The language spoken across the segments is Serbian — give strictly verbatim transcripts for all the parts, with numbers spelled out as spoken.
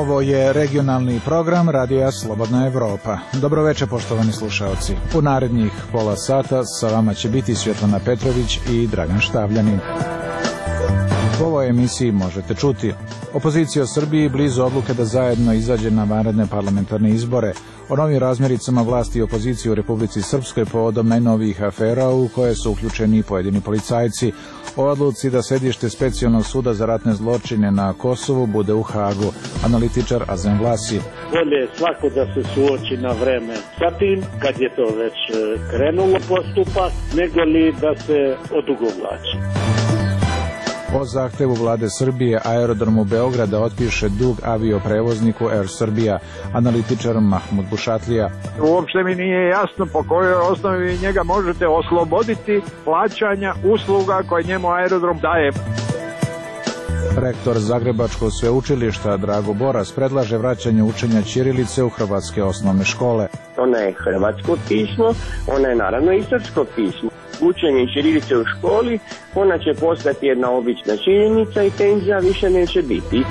Ovo je regionalni program Radija Slobodna Evropa. Dobroveče, poštovani slušaoci. U narednih pola sata sa vama će biti Svjetlana Petrović i Dragan Štavljanin. U ovoj emisiji možete čuti: opozicija u Srbiji blizu odluke da zajedno izađe na vanredne parlamentarne izbore, o novim razmjericama vlasti i opozicije u Republici Srpskoj povodom najnovijih afera u koje su uključeni pojedini policajci, o odluci da sedište Specijalnog suda za ratne zločine na Kosovu bude u Hagu, analitičar Azem Vlasi. Bolje je svako da se suoči na vreme sa tim, kad je to već krenulo postupak, nego li da se odugovlači. O zahtevu vlade Srbije aerodromu Beograda otpiše dug avioprevozniku Air Srbija, analitičar Mahmud Bušatlija. Uopšte mi nije jasno po kojoj osnovi njega možete osloboditi plaćanja usluga koje njemu aerodrom daje. Rektor Zagrebačkog sveučilišta Drago Boras predlaže vraćanje učenja ćirilice u hrvatske osnovne škole. Ona je hrvatsko pismo, ona je naravno i srpsko pismo. Učenje ćirilice u školi, ona će postati jedna obična činjenica i tenzija više neće biti.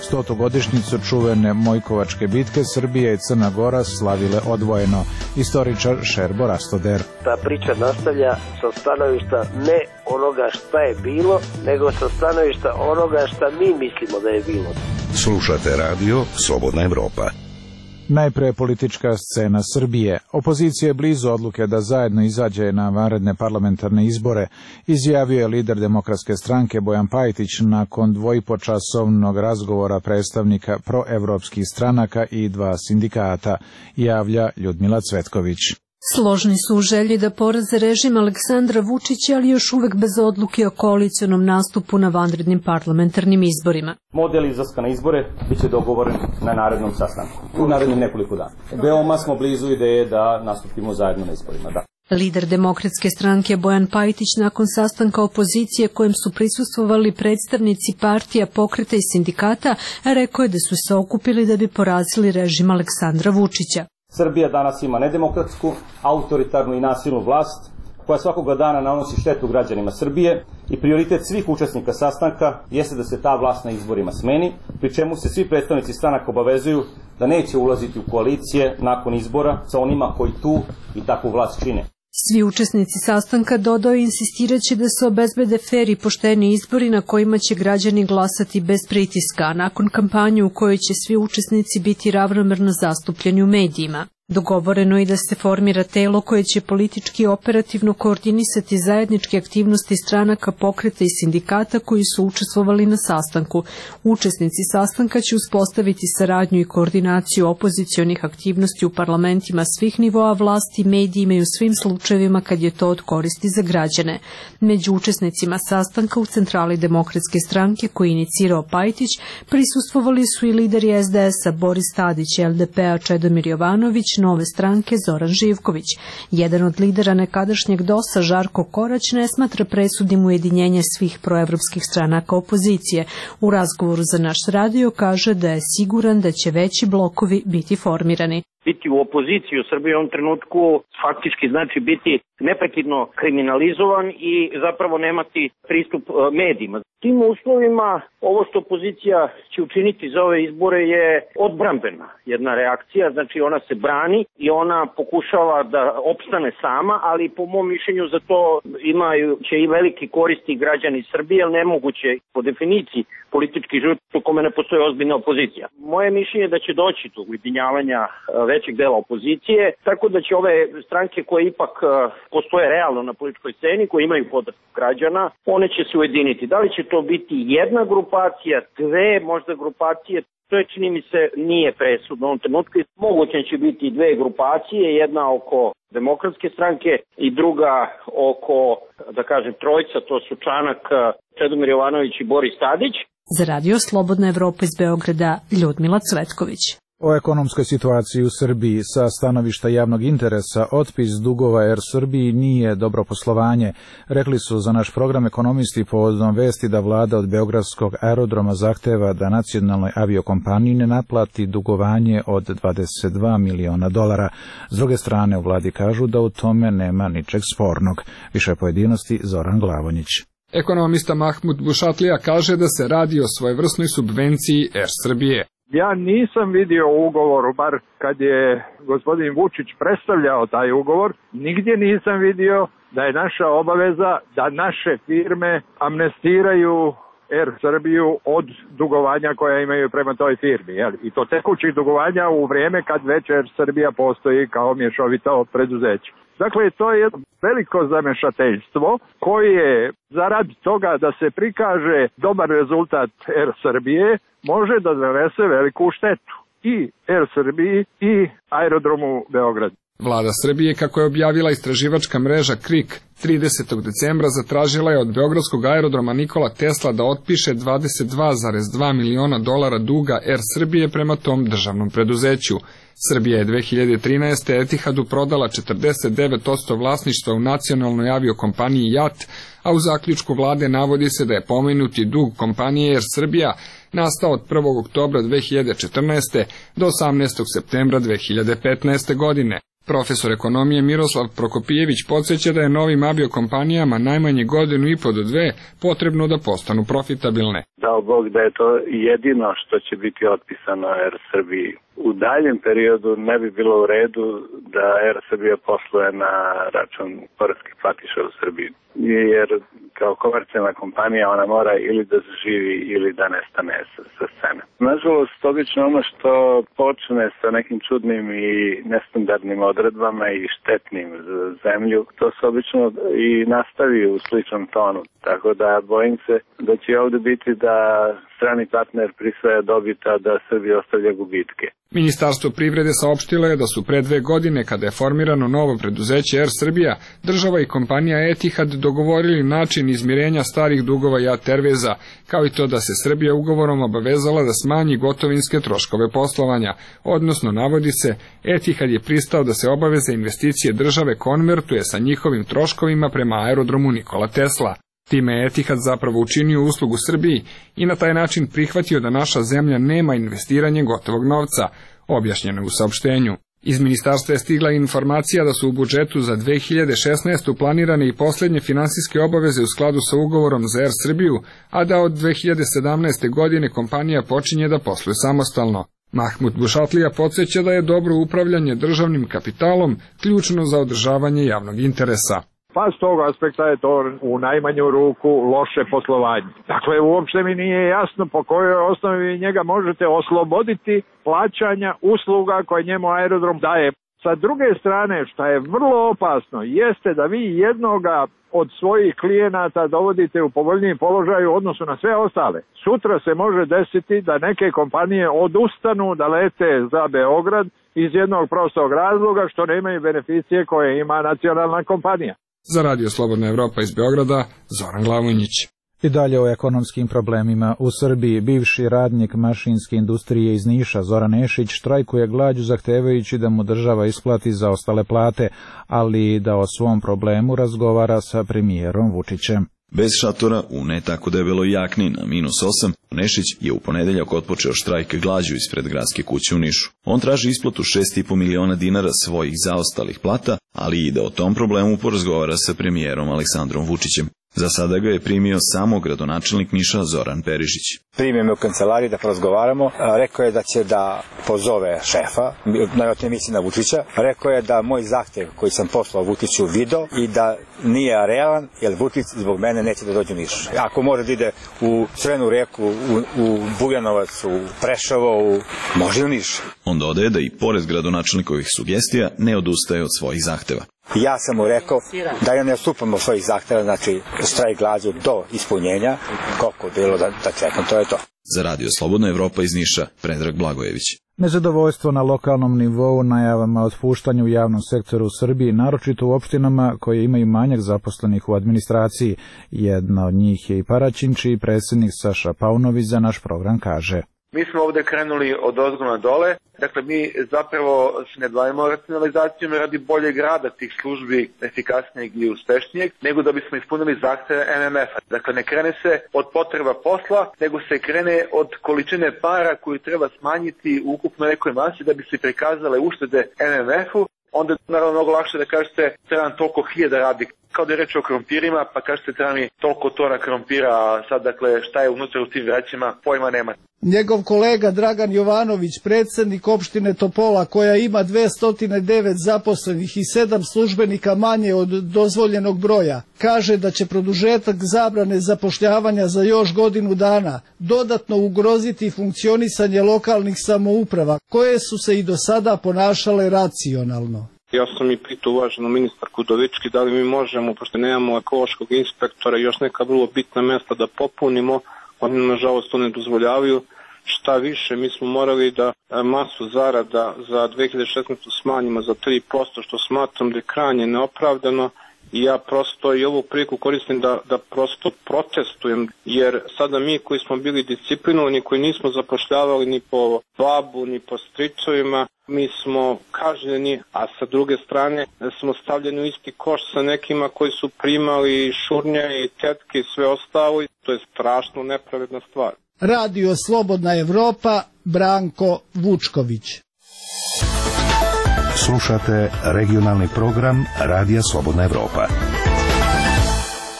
Stotu godišnjicu čuvene Mojkovačke bitke Srbija i Crna Gora slavile odvojeno. Istoričar Šerbo Rastoder. Ta priča nastavlja sa stanovišta ne onoga šta je bilo, nego sa stanovišta onoga šta mi mislimo da je bilo. Slušate radio Slobodna Evropa. Najpre politička scena Srbije. Opozicija je blizu odluke da zajedno izađe na vanredne parlamentarne izbore, izjavio je lider Demokratske stranke Bojan Pajtić nakon dvojipočasovnog razgovora predstavnika proevropskih stranaka i dva sindikata, javlja Ljudmila Cvetković. Složni su u želji da poraze režim Aleksandra Vučića, ali još uvek bez odluke o koalicionom nastupu na vanrednim parlamentarnim izborima. Model izlaska na izbore biće dogovoren na narednom sastanku, u narednim nekoliko dana. Veoma smo blizu ideje da nastupimo zajedno na izborima, da. Lider Demokratske stranke Bojan Pajtić nakon sastanka opozicije kojem su prisustvovali predstavnici partija, pokreta i sindikata rekao je da su se okupili da bi porazili režim Aleksandra Vučića. Srbija danas ima nedemokratsku, autoritarnu i nasilnu vlast koja svakoga dana nanosi štetu građanima Srbije i prioritet svih učesnika sastanka jeste da se ta vlast na izborima smeni, pri čemu se svi predstavnici stranaka obavezuju da neće ulaziti u koalicije nakon izbora sa onima koji tu i takvu vlast čine. Svi učesnici sastanka, dodao, insistiraće da se obezbede fer i pošteni izbori na kojima će građani glasati bez pritiska, a nakon kampanje u kojoj će svi učesnici biti ravnomerno zastupljeni u medijima. Dogovoreno je da se formira telo koje će politički i operativno koordinisati zajedničke aktivnosti stranaka, pokreta i sindikata koji su učestvovali na sastanku. Učesnici sastanka će uspostaviti saradnju i koordinaciju opozicionih aktivnosti u parlamentima svih nivoa vlasti, medijima i u svim slučajevima kad je to od koristi za građane. Među učesnicima sastanka u centrali Demokratske stranke koji je inicirao Pajtić prisustvovali su i lideri es de es a Boris Tadić, el de pe a Čedomir Jovanović, Nove stranke Zoran Živković. Jedan od lidera nekadašnjeg dosa, Žarko Korać, ne smatra presudnim ujedinjenje svih proevropskih stranaka opozicije. U razgovoru za naš radio kaže da je siguran da će veći blokovi biti formirani. Biti u opoziciji u Srbiji u ovom trenutku faktički znači biti neprekidno kriminalizovan i zapravo nemati pristup medijima. Tim uslovima ovo što opozicija će učiniti za ove izbore je odbrambena jedna reakcija, znači ona se brani i ona pokušava da opstane sama, ali po mom mišljenju za to imaju će i veliki koristi građani Srbije, jer nemoguće po definiciji politički život u kome ne postoji ozbiljna opozicija. Moje mišljenje je da će doći do ujedinjavanja većeg dela opozicije, tako da će ove stranke koje ipak postoje realno na političkoj sceni, koje imaju podršku građana, one će se ujediniti. Da li će to biti jedna grupacija, dve možda grupacije, to je, čini mi se, nije presudno u ovom trenutku. Moguće će biti dve grupacije, jedna oko Demokratske stranke i druga oko, da kažem, trojca, to su Čanak, Čedomir Jovanović i Boris Tadić. Za radio Slobodna Evropa iz Beograda, Ljudmila Cvetković. O ekonomskoj situaciji u Srbiji sa stanovišta javnog interesa otpis dugova Air Srbiji nije dobro poslovanje, rekli su za naš program ekonomisti povodom vesti da vlada od Beogradskog aerodroma zahteva da nacionalnoj aviokompaniji ne naplati dugovanje od dvadeset dva miliona dolara. S druge strane u vladi kažu da u tome nema ničeg spornog. Više pojedinosti Zoran Glavonjić. Ekonomista Mahmud Bušatlija kaže da se radi o svojevrsnoj subvenciji Er Srbije. Ja nisam vidio u ugovoru, bar kad je gospodin Vučić predstavljao taj ugovor, nigdje nisam vidio da je naša obaveza da naše firme amnestiraju Er Srbiju od dugovanja koja imaju prema toj firmi. Jel? I to tekućih dugovanja u vrijeme kad već Er Srbija postoji kao mješovito preduzeće. Dakle, to je jedno veliko zamešateljstvo koje zarad toga da se prikaže dobar rezultat Er Srbije može da zanese veliku štetu i Er Srbiji i aerodromu Beograd. Vlada Srbije, kako je objavila istraživačka mreža KRIK, tridesetog decembra zatražila je od beogradskog aerodroma Nikola Tesla da otpiše dvadeset dva zarez dva miliona dolara duga Er Srbije prema tom državnom preduzeću. Srbija je dve hiljade trinaeste. Etihadu prodala četrdeset devet posto vlasništva u nacionalnoj aviokompaniji JAT, a u zaključku vlade navodi se da je pomenuti dug kompanije Er Srbija nastao od prvog oktobra dve hiljade četrnaeste. do osamnaestog septembra dve hiljade petnaeste. godine. Profesor ekonomije Miroslav Prokopijević podsjeća da je novim aviokompanijama najmanje godinu i po do dve potrebno da postanu profitabilne. Dao Bog da je to jedino što će biti otpisano Er Srbiji. U daljem periodu ne bi bilo u redu da Er Srbija posluje na račun poreskih platiša u Srbiji. Jer kao komercijalna kompanija ona mora ili da zaživi ili da nestane sa, sa scene. Nažalost, obično ono što počne sa nekim čudnim i nestandardnim odredbama i štetnim za zemlju, to se obično i nastavi u sličnom tonu. Tako da bojim se da će ovdje biti da strani partner prisvaja dobita, da Srbija ostavlja gubitke. Ministarstvo privrede saopštilo je da su pre dve godine, kada je formirano novo preduzeće Er Srbija, država i kompanija Etihad dogovorili način izmirenja starih dugova JAT Airwaysa, kao i to da se Srbija ugovorom obavezala da smanji gotovinske troškove poslovanja, odnosno, navodi se, Etihad je pristao da se obaveze investicije države konvertuje sa njihovim troškovima prema aerodromu Nikola Tesla. Time je Etihad zapravo učinio uslugu Srbiji i na taj način prihvatio da naša zemlja nema investiranje gotovog novca, objašnjeno u saopštenju. Iz ministarstva je stigla informacija da su u budžetu za dve hiljade šesnaestu. planirane i posljednje finansijske obaveze u skladu sa ugovorom za Er Srbiju, a da od dve hiljade sedamnaeste. godine kompanija počinje da posluje samostalno. Mahmud Bušatlija podsjeća da je dobro upravljanje državnim kapitalom ključno za održavanje javnog interesa. Pa s tog aspekta je to u najmanju ruku loše poslovanje. Dakle, uopšte mi nije jasno po kojoj osnovi njega možete osloboditi plaćanja usluga koje njemu aerodrom daje. Sa druge strane, što je vrlo opasno, jeste da vi jednoga od svojih klijenata dovodite u povoljniji položaj u odnosu na sve ostale. Sutra se može desiti da neke kompanije odustanu da lete za Beograd iz jednog prostog razloga što nemaju beneficije koje ima nacionalna kompanija. Za Radio Slobodna Evropa iz Beograda, Zoran Glavonjić. I dalje o ekonomskim problemima. U Srbiji bivši radnik mašinske industrije iz Niša Zoran Nešić štrajkuje glađu zahtevajući da mu država isplati zaostale plate, ali i da o svom problemu razgovara sa premijerom Vučićem. Bez šatora, u ne tako debeloj jakni na minus osam, Nešić je u ponedeljak otpočeo štrajk glađu ispred gradske kuće u Nišu. On traži isplatu šest i po miliona dinara svojih zaostalih plata, ali i da o tom problemu porazgovara sa premijerom Aleksandrom Vučićem. Za sada ga je primio samo gradonačelnik Niša Zoran Perišić. Primio me u kancelariji da porazgovaramo, rekao je da će da pozove šefa, najvjerojatnije misli na Vučića, rekao je da moj zahtev koji sam poslao Vučiću video i da nije realan, jer Vučić zbog mene neće da dođe u Niš. Ako može da ide u Crvenu reku, u, u Bujanovac, u Preševo, u... može u Niš. On dodaje da i pored gradonačelnikovih sugestija ne odustaje od svojih zahteva. Ja sam mu rekao da ja ne odstupam od svojih zahteva, znači štrajk glađu do ispunjenja, koliko bilo da, da čekam, to je to. Za Radio Slobodna Evropa iz Niša, Predrag Blagojević. Nezadovoljstvo na lokalnom nivou najavama otpuštanja u javnom sektoru u Srbiji, naročito u opštinama koje imaju manjak zaposlenih u administraciji. Jedna od njih je i Paraćin, čiji predsjednik Saša Paunović za naš program kaže. Mi smo ovdje krenuli od ozgo na dole, dakle mi zapravo se ne bavimo racionalizacijom radi boljeg rada tih službi, efikasnijeg i uspešnijeg, nego da bismo ispunili zahteve M M F-a. Dakle ne krene se od potreba posla, nego se krene od količine para koju treba smanjiti u ukupnoj nekoj masi da bi se prikazale uštede M M F-u. onda je naravno mnogo lakše da kažete treba nam toliko hiljada radnika. Kao da je reč o krompirima, pa kažete treba mi toliko tona krompira, a sad dakle šta je unutra u tim vrećima, pojma nema. Njegov kolega Dragan Jovanović, predsjednik opštine Topola, koja ima dvesta devet zaposlenih i sedam službenika manje od dozvoljenog broja, kaže da će produžetak zabrane zapošljavanja za još godinu dana dodatno ugroziti funkcionisanje lokalnih samouprava, koje su se i do sada ponašale racionalno. Ja sam i pitao uvaženu ministarku Udovički da li mi možemo, pošto nemamo ekološkog inspektora i još neka vrlo bitna mesta da popunimo, oni nažalost to ne dozvoljavaju. Šta više, mi smo morali da masu zarada za dve hiljade šesnaestu smanjimo za tri posto, što smatram da je krajnje neopravdano. I ja prosto i ovu priliku koristim da, da prosto protestujem, jer sada mi koji smo bili disciplinovani, koji nismo zapošljavali ni po babu, ni po stričevima, mi smo kažnjeni, a sa druge strane smo stavljeni u isti koš sa nekima koji su primali šurnje i tetke i sve ostalo. To je strašno nepravedna stvar. Radio Slobodna Evropa, Branko Vučković. Slušate regionalni program Radija Slobodna Evropa.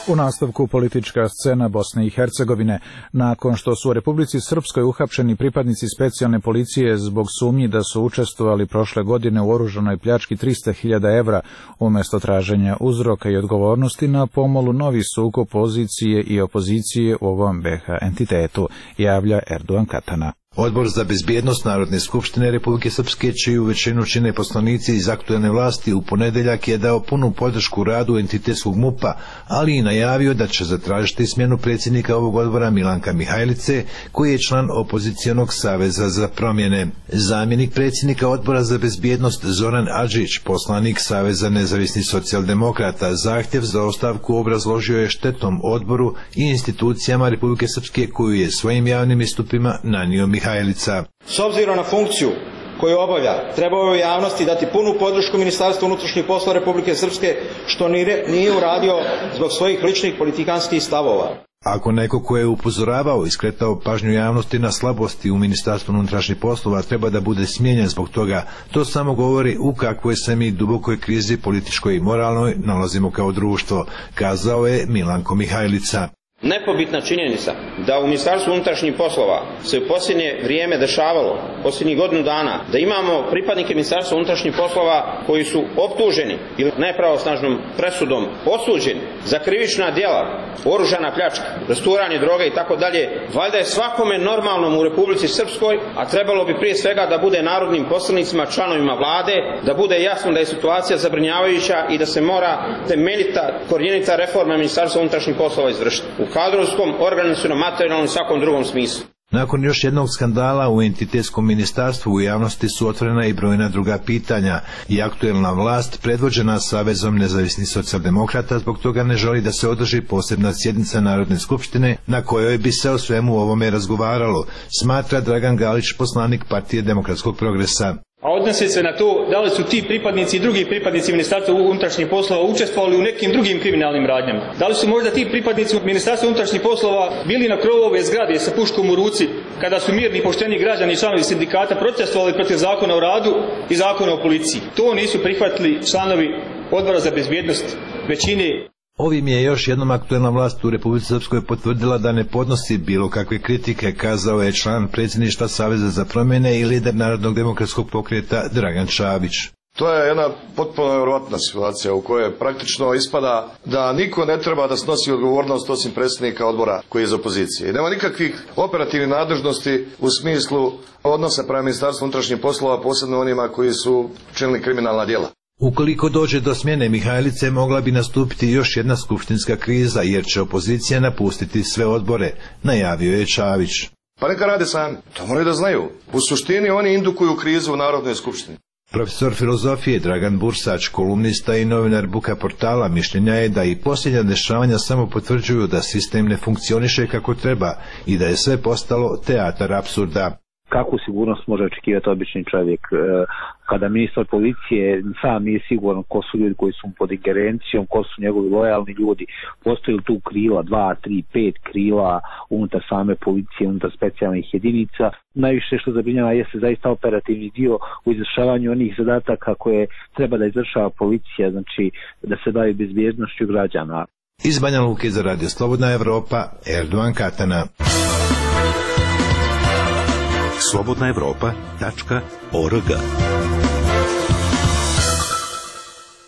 U nastavku politička scena Bosne i Hercegovine. Nakon što su u Republici Srpskoj uhapšeni pripadnici specijalne policije zbog sumnji da su učestvovali prošle godine u oružanoj pljački trista hiljada evra, umjesto traženja uzroka i odgovornosti, na pomolu novi sukob pozicije i opozicije u ovom be ha entitetu, javlja Erdogan Katana. Odbor za bezbjednost Narodne skupštine Republike Srpske, čiju većinu čine poslanici iz aktuelne vlasti, u ponedeljak je dao punu podršku radu entitetskog mupa, ali i najavio da će zatražiti smjenu predsjednika ovog odbora Milanka Mihajlice, koji je član opozicijonog saveza za promjene. Zamjenik predsjednika odbora za bezbjednost Zoran Adžić, poslanik Saveza nezavisnih socijaldemokrata, zahtjev za ostavku obrazložio je štetom odboru i institucijama Republike Srpske, koju je svojim javnim istupima nanio Mihajlica. S obzirom na funkciju koju obavlja, trebao je javnosti dati punu podršku Ministarstvu unutrašnjih poslova Republike Srpske, što nije uradio zbog svojih ličnih politikanskih stavova. Ako neko ko je upozoravao i skretao pažnju javnosti na slabosti u Ministarstvu unutrašnjih poslova treba da bude smijenjen zbog toga, to samo govori u kakvoj se mi dubokoj krizi političkoj i moralnoj nalazimo kao društvo, kazao je Milanko Mihajlica. Nepobitna činjenica da u Ministarstvu unutrašnjih poslova se u posljednje vrijeme dešavalo, posljednjih godinu dana, da imamo pripadnike Ministarstva unutrašnjih poslova koji su optuženi ili nepravosnažnom presudom osuđeni za krivična djela, oružana pljačka, rasturanje droge i tako dalje, valjda je svakome normalnom u Republici Srpskoj, a trebalo bi prije svega da bude narodnim poslanicima, članovima vlade, da bude jasno da je situacija zabrinjavajuća i da se mora temeljita, korjenita reforma Ministarstva unutrašnjih poslova izvršiti. U kadrovskom, organizacionom, materijalnom i svakom drugom smislu. Nakon još jednog skandala u entitetskom ministarstvu u javnosti su otvorena i brojna druga pitanja i aktuelna vlast, predvođena Savezom nezavisnih socijaldemokrata, zbog toga ne želi da se održi posebna sjednica Narodne skupštine na kojoj bi se o svemu ovome razgovaralo, smatra Dragan Galić, poslanik Partije demokratskog progresa. A odnosi se na to da li su ti pripadnici i drugi pripadnici Ministarstva unutrašnjih poslova učestvovali u nekim drugim kriminalnim radnjama. Da li su možda ti pripadnici Ministarstva unutrašnjih poslova bili na krovu ove zgrade sa puškom u ruci kada su mirni i pošteni građani i članovi sindikata protestovali protiv zakona o radu i zakona o policiji. To nisu prihvatili članovi odbora za bezbjednost većine. Ovim je još jednom aktuelna vlast u Republici Srpskoj potvrdila da ne podnosi bilo kakve kritike, kazao je član predsjedništva Saveza za promjene i lider Narodnog demokratskog pokreta Dragan Čabić. To je jedna potpuno nevjerojatna situacija u kojoj praktično ispada da niko ne treba da snosi odgovornost osim predsjednika odbora koji je iz opozicije. I nema nikakvih operativnih nadležnosti u smislu odnosa prema Ministarstvu unutrašnjih poslova, posebno onima koji su činili kriminalna djela. Ukoliko dođe do smjene Mihajlice, mogla bi nastupiti još jedna skupštinska kriza, jer će opozicija napustiti sve odbore, najavio je Čavić. Pa neka rade sami, to moraju da znaju. U suštini oni indukuju krizu u Narodnoj skupštini. Profesor filozofije Dragan Bursać, kolumnista i novinar Buka portala, mišljenja je da i posljednja dešavanja samo potvrđuju da sistem ne funkcioniše kako treba i da je sve postalo teatar apsurda. Kakvu sigurnost može očekivati obični čovjek kada ministar policije sam nije siguran ko su ljudi koji su pod ingerencijom, ko su njegovi lojalni ljudi, postoji li tu krila, dva, tri, pet krila unutar same policije, unutar specijalnih jedinica. Najviše što zabrinjava jeste zaista operativni dio u izvršavanju onih zadataka koje treba da izvršava policija, znači da se bavi bezbjednošću građana. Iz Banja Luke za Radio Slobodna Evropa, Erdovan Katana. slobodna evropa tačka org.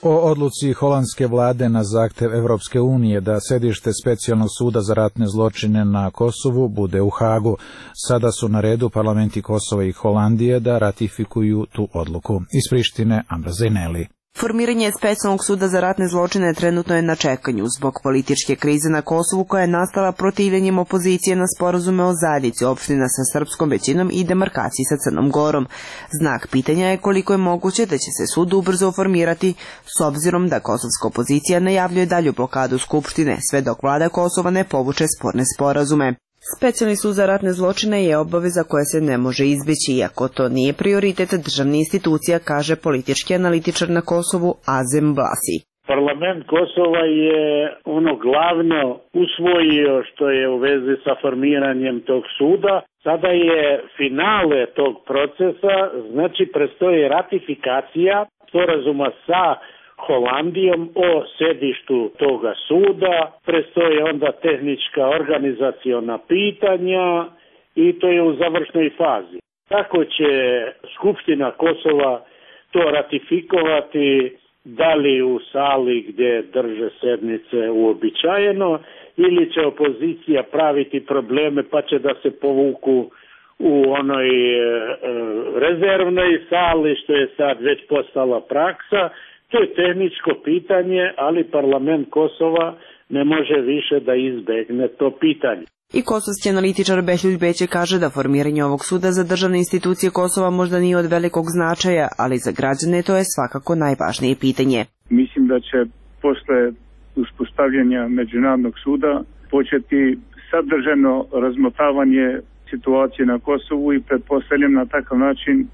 O odluci holandske vlade na zahtev Evropske unije da sedište specijalnog suda za ratne zločine na Kosovu bude u Hagu. Sada su na redu parlamenti Kosova i Holandije da ratifikuju tu odluku. Iz Prištine, Amra Zejneli. Formiranje specijalnog suda za ratne zločine trenutno je na čekanju zbog političke krize na Kosovu koja je nastala protivljenjem opozicije na sporazume o zajednici opština sa srpskom većinom i demarkaciji sa Crnom Gorom. Znak pitanja je koliko je moguće da će se sud ubrzo formirati s obzirom da kosovska opozicija najavljuje dalju blokadu Skupštine sve dok vlada Kosova ne povuče sporne sporazume. Specijalni sud za ratne zločine je obaveza koja se ne može izbeći, iako to nije prioritet državnih institucija, kaže politički analitičar na Kosovu Azem Blasi. Parlament Kosova je ono glavno usvojio što je u vezi sa formiranjem tog suda. Sada je finale tog procesa, znači prestoji ratifikacija sporazuma sa Holandijom o sedištu toga suda, prestoje onda tehnička organizaciona pitanja i to je u završnoj fazi. Tako će Skupština Kosova to ratifikovati, da li u sali gdje drže sednice uobičajeno ili će opozicija praviti probleme pa će da se povuku u onoj e, rezervnoj sali, što je sad već postala praksa. To je tehničko pitanje, ali parlament Kosova ne može više da izbegne to pitanje. I kosovski analitičar Behljuj Beće kaže da formiranje ovog suda za državne institucije Kosova možda nije od velikog značaja, ali za građane to je svakako najvažnije pitanje. Mislim da će posle uspostavljanja Međunarodnog suda početi sadržajno razmotavanje situacije na Kosovu i pretpostavljam na takav način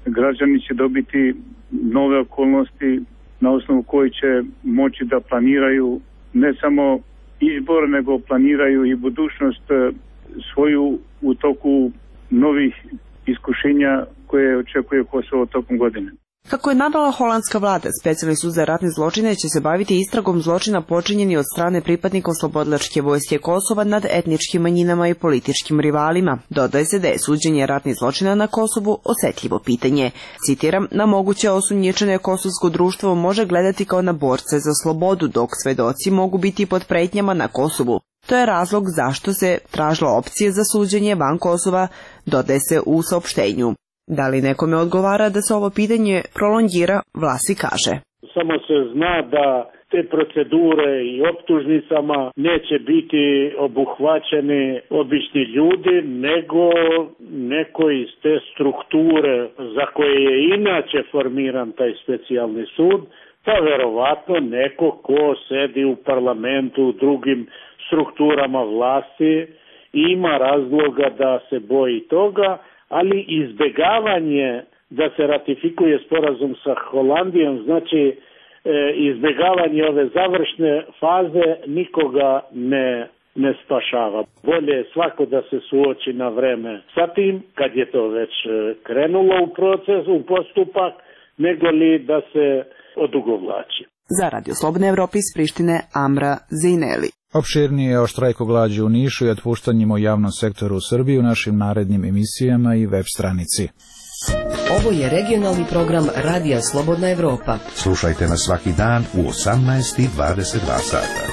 građani će dobiti nove okolnosti na osnovu koji će moći da planiraju ne samo izbor, nego planiraju i budućnost svoju u toku novih iskušenja koje očekuje Kosovo tokom godine. Kako je navela holandska vlada, specijalni sud za ratne zločine će se baviti istragom zločina počinjeni od strane pripadnika Oslobodilačke vojske Kosova nad etničkim manjinama i političkim rivalima. Dodaje se da je suđenje ratnih zločina na Kosovu osetljivo pitanje. Citiram, na moguće osumnjičene kosovsko društvo može gledati kao na borce za slobodu, dok svedoci mogu biti pod pretnjama na Kosovu. To je razlog zašto se tražila opcija za suđenje van Kosova, dodaje se u saopštenju. Da li nekome odgovara da se ovo pitanje prolongira, Vlasi kaže. Samo se zna da te procedure i optužnicama neće biti obuhvaćeni obični ljudi, nego neko iz te strukture za koje je inače formiran taj specijalni sud, pa verovatno neko ko sedi u parlamentu, u drugim strukturama vlasti, ima razloga da se boji toga, ali izbjegavanje da se ratifikuje sporazum sa Holandijom, znači e, izbjegavanje ove završne faze nikoga ne, ne spašava. Bolje je svako da se suoči na vreme sa tim, kad je to već krenulo u proces, u postupak, nego li da se odugovlači. Za Radio Slobodne Evrope iz Prištine, Amra Zejneli. Opširnije o štrajku glađu u Nišu i otpuštanjima u javnom sektoru u Srbiji u našim narednim emisijama i web stranici. Ovo je regionalni program Radija Slobodna Evropa. Slušajte nas svaki dan u osamnaest i dvadeset dva sata.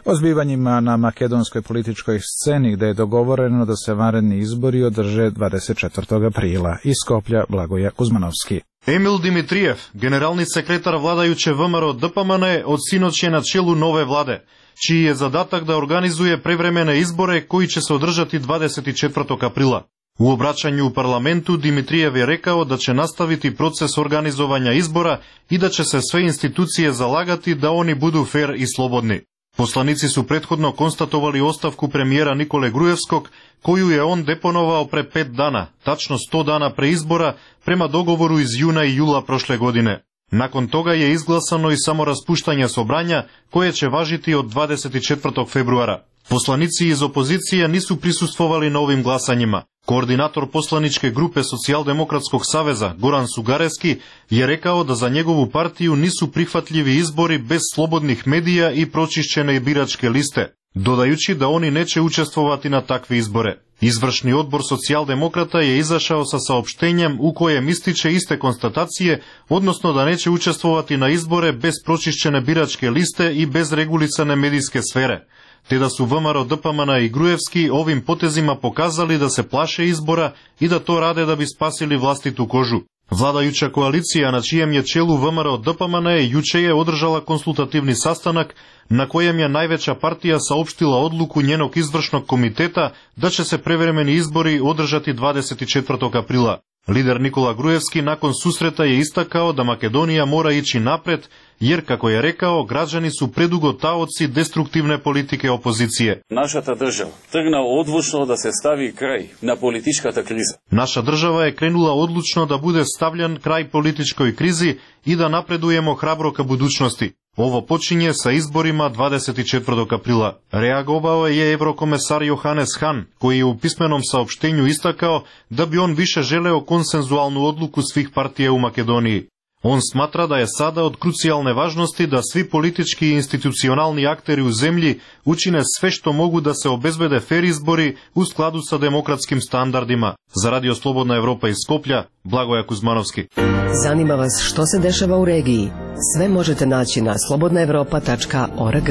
O zbivanjima na makedonskoj političkoj sceni gde je dogovoreno da se vanredni izbori održe dvadeset četvrtog aprila. Iz Skoplja Blagoja Kuzmanovski. Емил Димитриев, генерални секретар владајуче ВМРО ДПМН, од синоќ е на челу нове владе, чиј е задатак да организуе превремене изборе кои ќе се одржати двадесет и четвртог априла. У обраќању у парламенту Димитриев е рекао да ќе наставити процес организувања избора и да ќе се све институције залагати да они буду фер и слободни. Poslanici su prethodno konstatovali ostavku premijera Nikole Grujevskog, koju je on deponovao pre pet dana, tačno sto dana pre izbora, prema dogovoru iz juna i jula prošle godine. Nakon toga je izglasano i samo raspuštanje sobranja, koje će važiti od dvadeset četvrtog februara. Poslanici iz opozicije nisu prisustvovali na ovim glasanjima. Koordinator poslaničke grupe Socijaldemokratskog saveza, Goran Sugareski, je rekao da za njegovu partiju nisu prihvatljivi izbori bez slobodnih medija i pročišćene biračke liste, dodajući da oni neće učestvovati na takve izbore. Izvršni odbor Socijaldemokrata je izašao sa saopštenjem u kojem ističe iste konstatacije, odnosno da neće učestvovati na izbore bez pročišćene biračke liste i bez regulisane medijske sfere, te da su V M R O D P M N i Grujevski ovim potezima pokazali da se plaše izbora i da to rade da bi spasili vlastitu kožu. Vladajuća koalicija na čijem je čelu V M R O D P M N juče je održala konsultativni sastanak na kojem je najveća partija saopštila odluku njenog izvršnog komiteta da će se prevremeni izbori održati dvadeset četvrtog aprila. Lider Nikola Grujevski nakon susreta je istakao da Makedonija mora ići napred, jer, kako je rekao, građani su predugo taoci destruktivne politike opozicije. Našата država trgna odlučno da se stavi kraj na političkata kriza. Naša država je krenula odlučno da bude stavljan kraj političkoj krizi i da napredujemo hrabro ka budućnosti. Ovo počinje sa izborima dvadeset četvrtog aprila. Reagovao je eurokomesar Johannes Hahn, koji je u pismenom saopštenju istakao da bi on više želeo konsenzualnu odluku svih partija u Makedoniji. On smatra da je sada od krucijalne važnosti da svi politički i institucionalni akteri u zemlji učine sve što mogu da se obezbede fer izbori u skladu sa demokratskim standardima. Za Radio Slobodna Evropa iz Skoplja, Blagoja Kuzmanovski. Zanima vas što se dešava u regiji? Sve možete naći na slobodna evropa tačka org.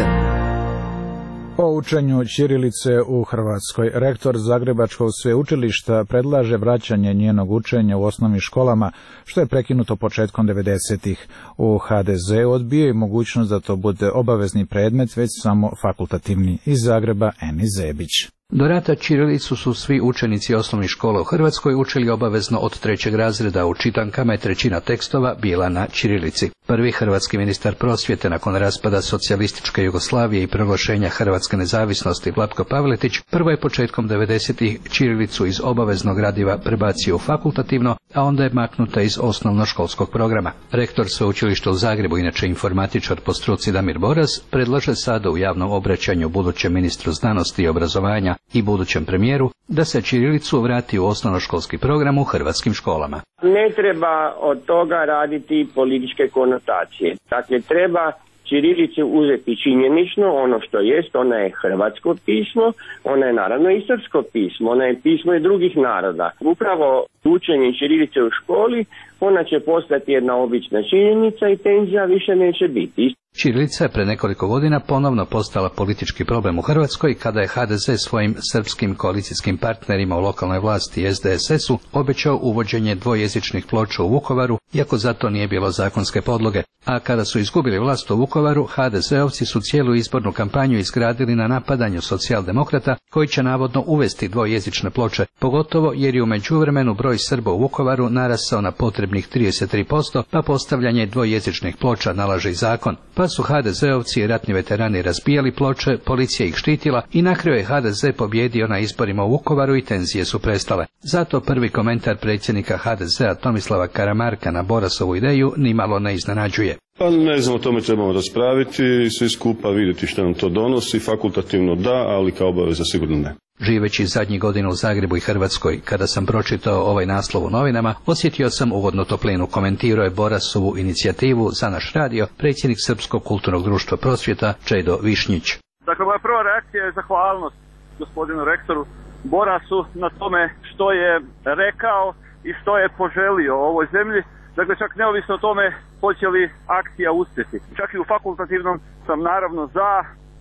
O učenju ćirilice u Hrvatskoj. Rektor Zagrebačkog sveučilišta predlaže vraćanje njenog učenja u osnovnim školama, što je prekinuto početkom devedesetih. U H D Z odbijaju mogućnost da to bude obavezni predmet, već samo fakultativni. Iz Zagreba, Eni Zebić. Do rata ćirilicu su svi učenici osnovnih škola u Hrvatskoj učili obavezno od trećeg razreda, u čitankama je trećina tekstova bila na ćirilici. Prvi hrvatski ministar prosvjete nakon raspada socijalističke Jugoslavije i proglašenja hrvatske nezavisnosti, Vlatko Pavletić, prvo je početkom devedesetih ćirilicu iz obaveznog gradiva prebacio u fakultativno, a onda je maknuta iz osnovnoškolskog programa. Rektor sveučilišta u Zagrebu, inače informatičar po struci Damir Boras, predlaže sada u javnom obraćanju budućem ministru znanosti i obrazovanja i budućem premijeru da se ćirilicu vrati u osnovnoškolski program u hrvatskim školama. Ne treba od toga raditi političke konotacije. Dakle, treba ćirilicu uzeti činjenično ono što jest, ona je hrvatsko pismo, ona je naravno i srpsko pismo, ona je pismo i drugih naroda. Upravo učenje ćirilice u školi, ona će postati jedna obična činjenica i tenzija više neće biti. Ćirilica je pre nekoliko godina ponovno postala politički problem u Hrvatskoj kada je H D Z svojim srpskim koalicijskim partnerima u lokalnoj vlasti S D S S-u obećao uvođenje dvojezičnih ploča u Vukovaru, iako za to nije bilo zakonske podloge. A kada su izgubili vlast u Vukovaru, H D Z-ovci su cijelu izbornu kampanju izgradili na napadanju socijaldemokrata koji će navodno uvesti dvojezične ploče, pogotovo jer je u međuvremenu broj Srba u Vukovaru narasao na potrebnih trideset tri posto, pa postavljanje dvojezičnih ploča nalaže i zakon. Pa su H D Z-ovci i ratni veterani razbijali ploče, policija ih štitila i na kraju je H D Z pobjedio na izborima u Vukovaru i tenzije su prestale. Zato prvi komentar predsjednika H D Z-a Tomislava Karamarka na Borasovu ideju nimalo ne iznenađuje. Pa ne znam, o tome trebamo raspraviti i svi skupa vidjeti što nam to donosi. Fakultativno da, ali kao obaveza sigurno ne. Živeći zadnjih godina u Zagrebu i Hrvatskoj, kada sam pročitao ovaj naslov u novinama, osjetio sam ugodnu toplinu. Komentirao je Borasovu inicijativu za naš radio predsjednik Srpskog kulturnog društva prosvjeta Čedo Višnjić. Dakle, moja prva reakcija je zahvalnost gospodinu rektoru Borasu na tome što je rekao i što je poželio ovoj zemlji. Dakle, čak neovisno o tome hoće li akcija uspjeti. Čak i u fakultativnom sam naravno za,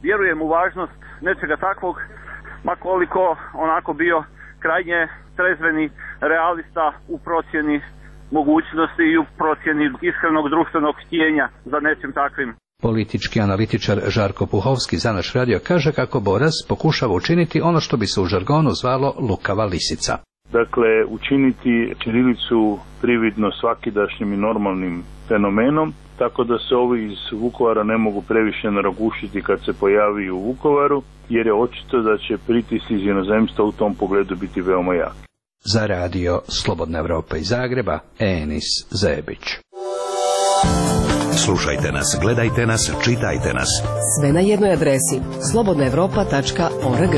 vjerujem u važnost nečega takvog, ma koliko onako bio krajnje trezveni realista u procjeni mogućnosti i u procjeni iskrenog društvenog htjenja za nečim takvim. Politički analitičar Žarko Puhovski za naš radio kaže kako Boras pokušava učiniti ono što bi se u žargonu zvalo lukava lisica. Dakle, učiniti ćirilicu prividno svakidašnjim i normalnim fenomenom tako da se ovi iz Vukovara ne mogu previše naragušiti kad se pojavi u Vukovaru, jer je očito da će pritisci iz inozemstva u tom pogledu biti veoma jaki. Za radio Slobodna Evropa iz Zagreba, Enis Zebić. Slušajte nas, gledajte nas, čitajte nas. Sve na jednoj adresi slobodna evropa tačka org.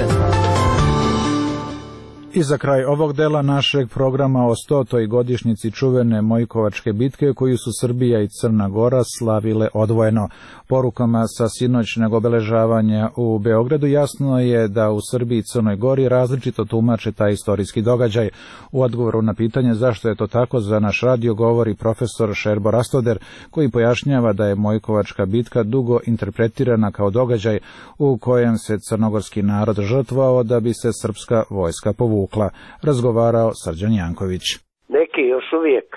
I za kraj ovog dela našeg programa o stotoj godišnjici čuvene Mojkovačke bitke koju su Srbija i Crna Gora slavile odvojeno. Porukama sa sinoćnog obeležavanja u Beogradu jasno je da u Srbiji i Crnoj Gori različito tumače taj istorijski događaj. U odgovoru na pitanje zašto je to tako za naš radio govori profesor Šerbo Rastoder, koji pojašnjava da je Mojkovačka bitka dugo interpretirana kao događaj u kojem se crnogorski narod žrtvovao da bi se srpska vojska povukla. Razgovarao Srđan Janković. Neki još uvijek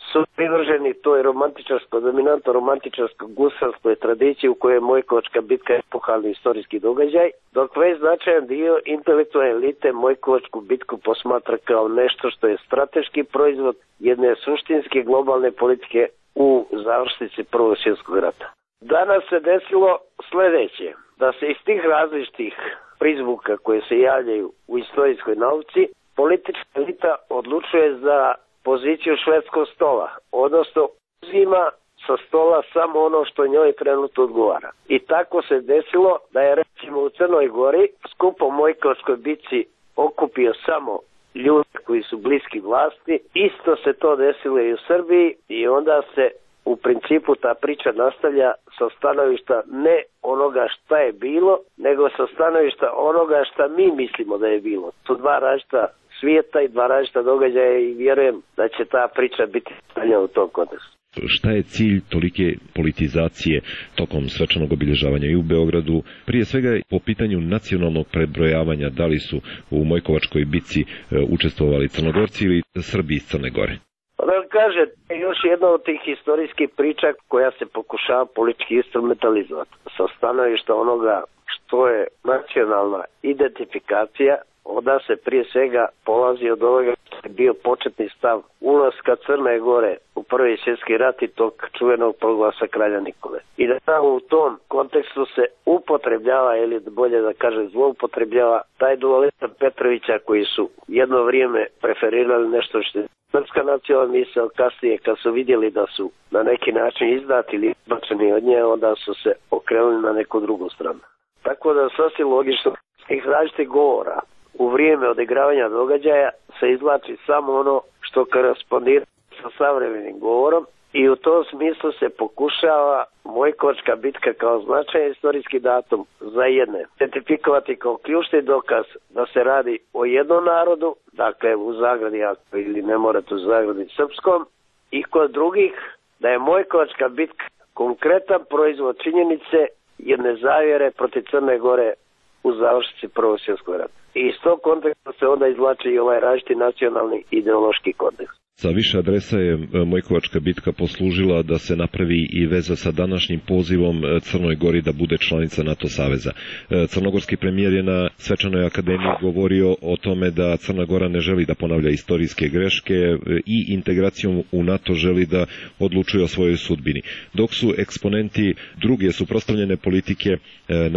su privrženi toj romantičarsko, dominantno romantičarsko gusalskoj tradiciji u kojoj je Mojkovačka bitka epohalni istorijski događaj, dok već značajan dio intelektualne elite Mojkovačku bitku posmatra kao nešto što je strateški proizvod jedne suštinske globalne politike u završnici Prvog svjetskog rata. Danas se desilo sljedeće, da se iz tih različitih prizvuka koje se javljaju u istorijskoj nauci, politička elita odlučuje za poziciju švedskog stola, odnosno uzima sa stola samo ono što njoj trenutno odgovara. I tako se desilo da je recimo u Crnoj Gori skup o Mojkovačkoj bitci okupio samo ljudi koji su bliski vlasti. Isto se to desilo i u Srbiji i onda se u principu ta priča nastavlja sa stanovišta ne onoga šta je bilo, nego sa stanovišta onoga šta mi mislimo da je bilo. To dva različita svijeta i dva različita događaja i vjerujem da će ta priča biti stavljena u tom kontekstu. Šta je cilj tolike politizacije tokom svečanog obilježavanja i u Beogradu? Prije svega po pitanju nacionalnog prebrojavanja, da li su u Mojkovačkoj bitci učestvovali Crnogorci ili Srbi iz Crne Gore? Da kaže, još jedna od tih historijskih priča koja se pokušava politički instrumentalizovati sa stanovišta onoga što je nacionalna identifikacija, onda se prije svega polazi od ovoga što je bio početni stav ulaska Crne Gore u Prvi svjetski rat i tog čuvenog proglasa kralja Nikole. I da tamo u tom kontekstu se upotrebljava, ili bolje da kaže zloupotrebljava, taj dualizam Petrovića koji su jedno vrijeme preferirali nešto što je srpska nacionalna misao, kasnije kad su vidjeli da su na neki način izdati ili izbačeni od nje, onda su se okrenuli na neku drugu stranu. Tako da sasvim logično ih različitih govora u vrijeme odigravanja događaja se izvlači samo ono što korespondira sa savremenim govorom i u tom smislu se pokušava Mojkovačka bitka kao značajan istorijski datum za jedne identifikovati kao ključni dokaz da se radi o jednom narodu, dakle u zagradi ili ne morate u zagradi srpskom, i kod drugih da je Mojkovačka bitka konkretan proizvod činjenice jedne zavjere protiv Crne Gore u završnici Prvog svjetskog rata. I iz tog konteksta se onda izvlači i ovaj različiti nacionalni ideološki kontekst. Sa više adresa je Mojkovačka bitka poslužila da se napravi i veza sa današnjim pozivom Crnoj Gori da bude članica NATO saveza. Crnogorski premijer je na svečanoj akademiji govorio o tome da Crna Gora ne želi da ponavlja istorijske greške i integracijom u NATO želi da odlučuje o svojoj sudbini. Dok su eksponenti druge suprotstavljene politike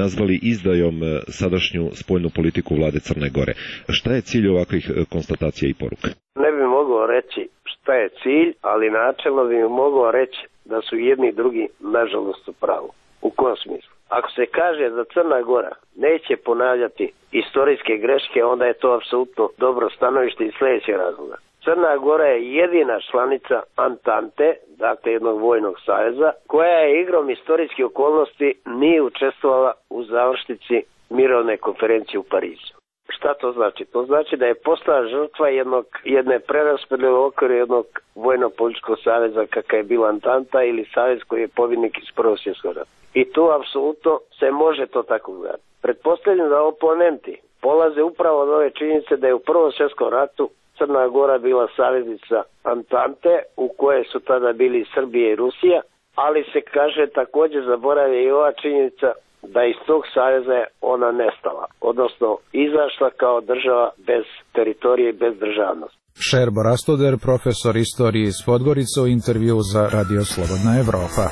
nazvali izdajom sadašnju spoljnu politiku vlade Crne Gore. Šta je cilj ovakvih konstatacija i poruka? Ne bi mogao reći šta je cilj, ali načelno bi mogao reći da su jedni i drugi nažalost u pravu. U kom smislu? Ako se kaže da Crna Gora neće ponavljati istorijske greške, onda je to apsolutno dobro stanovište iz sljedećeg razloga. Crna Gora je jedina članica Antante, dakle jednog vojnog saveza, koja je igrom istorijskih okolnosti nije učestvovala u završnici mirovne konferencije u Parizu. Šta to znači? To znači da je postala žrtva jednog, jedne preraspodjele u okviru jednog vojno-političkog saveza kakav je bila Antanta ili savez koji je pobjednik iz Prvog svjetskog rata. I tu apsolutno se može to tako gledati. Pretpostavljam da oponenti polaze upravo od ove činjenice da je u Prvom svjetskom ratu Crna Gora bila saveznica Antante u kojoj su tada bili Srbija i Rusija, ali se kaže također zaboravlja i ova činjenica da iz tog saveza je ona nestala, odnosno izašla kao država bez teritorije i bez državnosti. Šerbo Rastoder, profesor istorije iz Podgorice, u intervju za Radio Slobodna Evropa.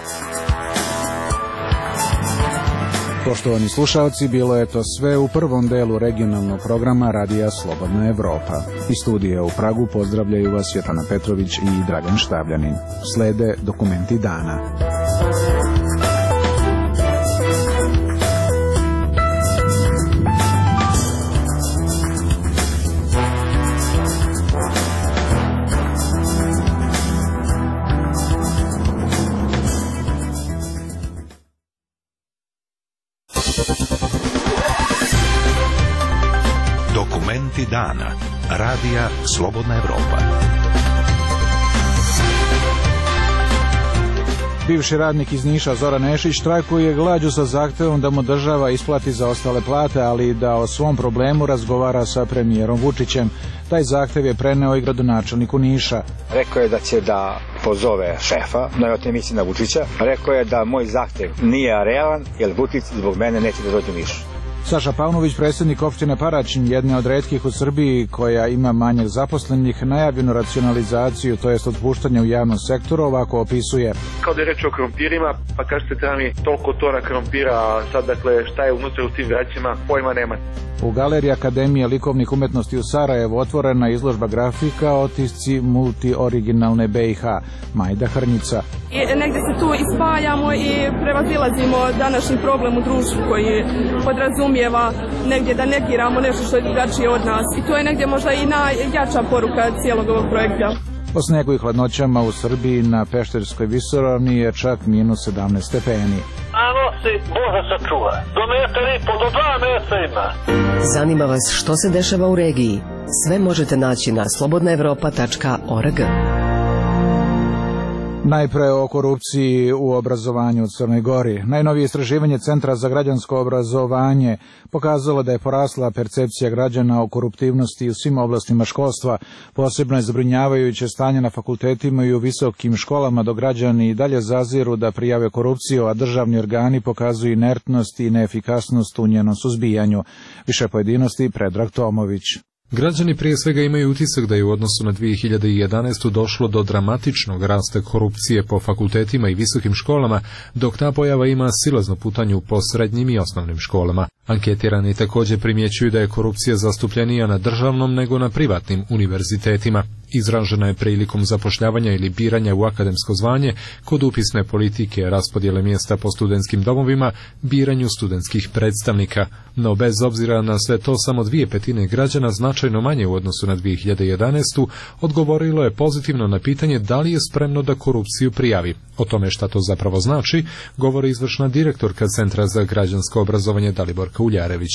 Poštovani slušalci, bilo je to sve u prvom delu regionalnog programa Radija Slobodna Evropa. Iz studija u Pragu pozdravljaju vas Svetlana Petrović i Dragan Štavljanin. Slede dokumenti dana. Dokumenti dana. Radija Slobodna Evropa. Bivši radnik iz Niša Zoran Nešić štrajkuje glađu sa zahtevom da mu država isplati zaostale plate, ali i da o svom problemu razgovara sa premijerom Vučićem. Taj zahtev je preneo i gradonačelniku Niša. Rekao je da će da pozove šefa, najvjerojatnije misli na Vučića. Rekao je da moj zahtev nije realan, jer Vučić zbog mene neće da dođe u Niš. Saša Paunović, predsjednik opštine Paraćin, jedne od retkih u Srbiji koja ima manjak zaposlenih, najavljenu racionalizaciju, to jest otpuštanje u javnom sektoru, ovako opisuje. Kao da je reč o krompirima, pa kažete treba mi toliko tona krompira, a sad dakle šta je unutra u tim vraćima, pojma nema. U Galeriji Akademije likovnih umetnosti u Sarajevu otvorena izložba grafika otisci multioriginalne B i H. Majda Hrnjica. I negdje se tu ispajamo i prevazilazimo današnji problem u društvu koji podrazumijeva negdje da negiramo nešto što je drugačije od nas. I to je negdje možda i najjača poruka cijelog ovog projekta. Po snegu i hladnoćama u Srbiji na Pešterskoj visoravni je čak minus sedamnaest stepeni. A nosi Bože sačuva. Do metar i po, do dva metra ima. Zanima vas što se dešava u regiji? Sve možete naći na slobodna evropa tačka org. Najpre o korupciji u obrazovanju u Crnoj Gori. Najnovije istraživanje Centra za građansko obrazovanje pokazalo da je porasla percepcija građana o koruptivnosti u svim oblastima školstva. Posebno je zabrinjavajuće stanje na fakultetima i u visokim školama, dok građani i dalje zaziru da prijave korupciju, a državni organi pokazuju inertnost i neefikasnost u njenom suzbijanju. Više pojedinosti Predrag Tomović. Građani prije svega imaju utisak da je u odnosu na dvije hiljade jedanaestu. došlo do dramatičnog rasta korupcije po fakultetima i visokim školama, dok ta pojava ima silaznu putanju po srednjim i osnovnim školama. Anketirani također primjećuju da je korupcija zastupljenija na državnom nego na privatnim univerzitetima. Izražena je prilikom zapošljavanja ili biranja u akademsko zvanje, kod upisne politike, raspodjele mjesta po studentskim domovima, biranju studentskih predstavnika. No bez obzira na sve to, samo dvije petine građana, značajno manje u odnosu na dvije hiljade jedanaestu. odgovorilo je pozitivno na pitanje da li je spremno da korupciju prijavi. O tome šta to zapravo znači, govori izvršna direktorka Centra za građansko obrazovanje Daliborka Uljarević.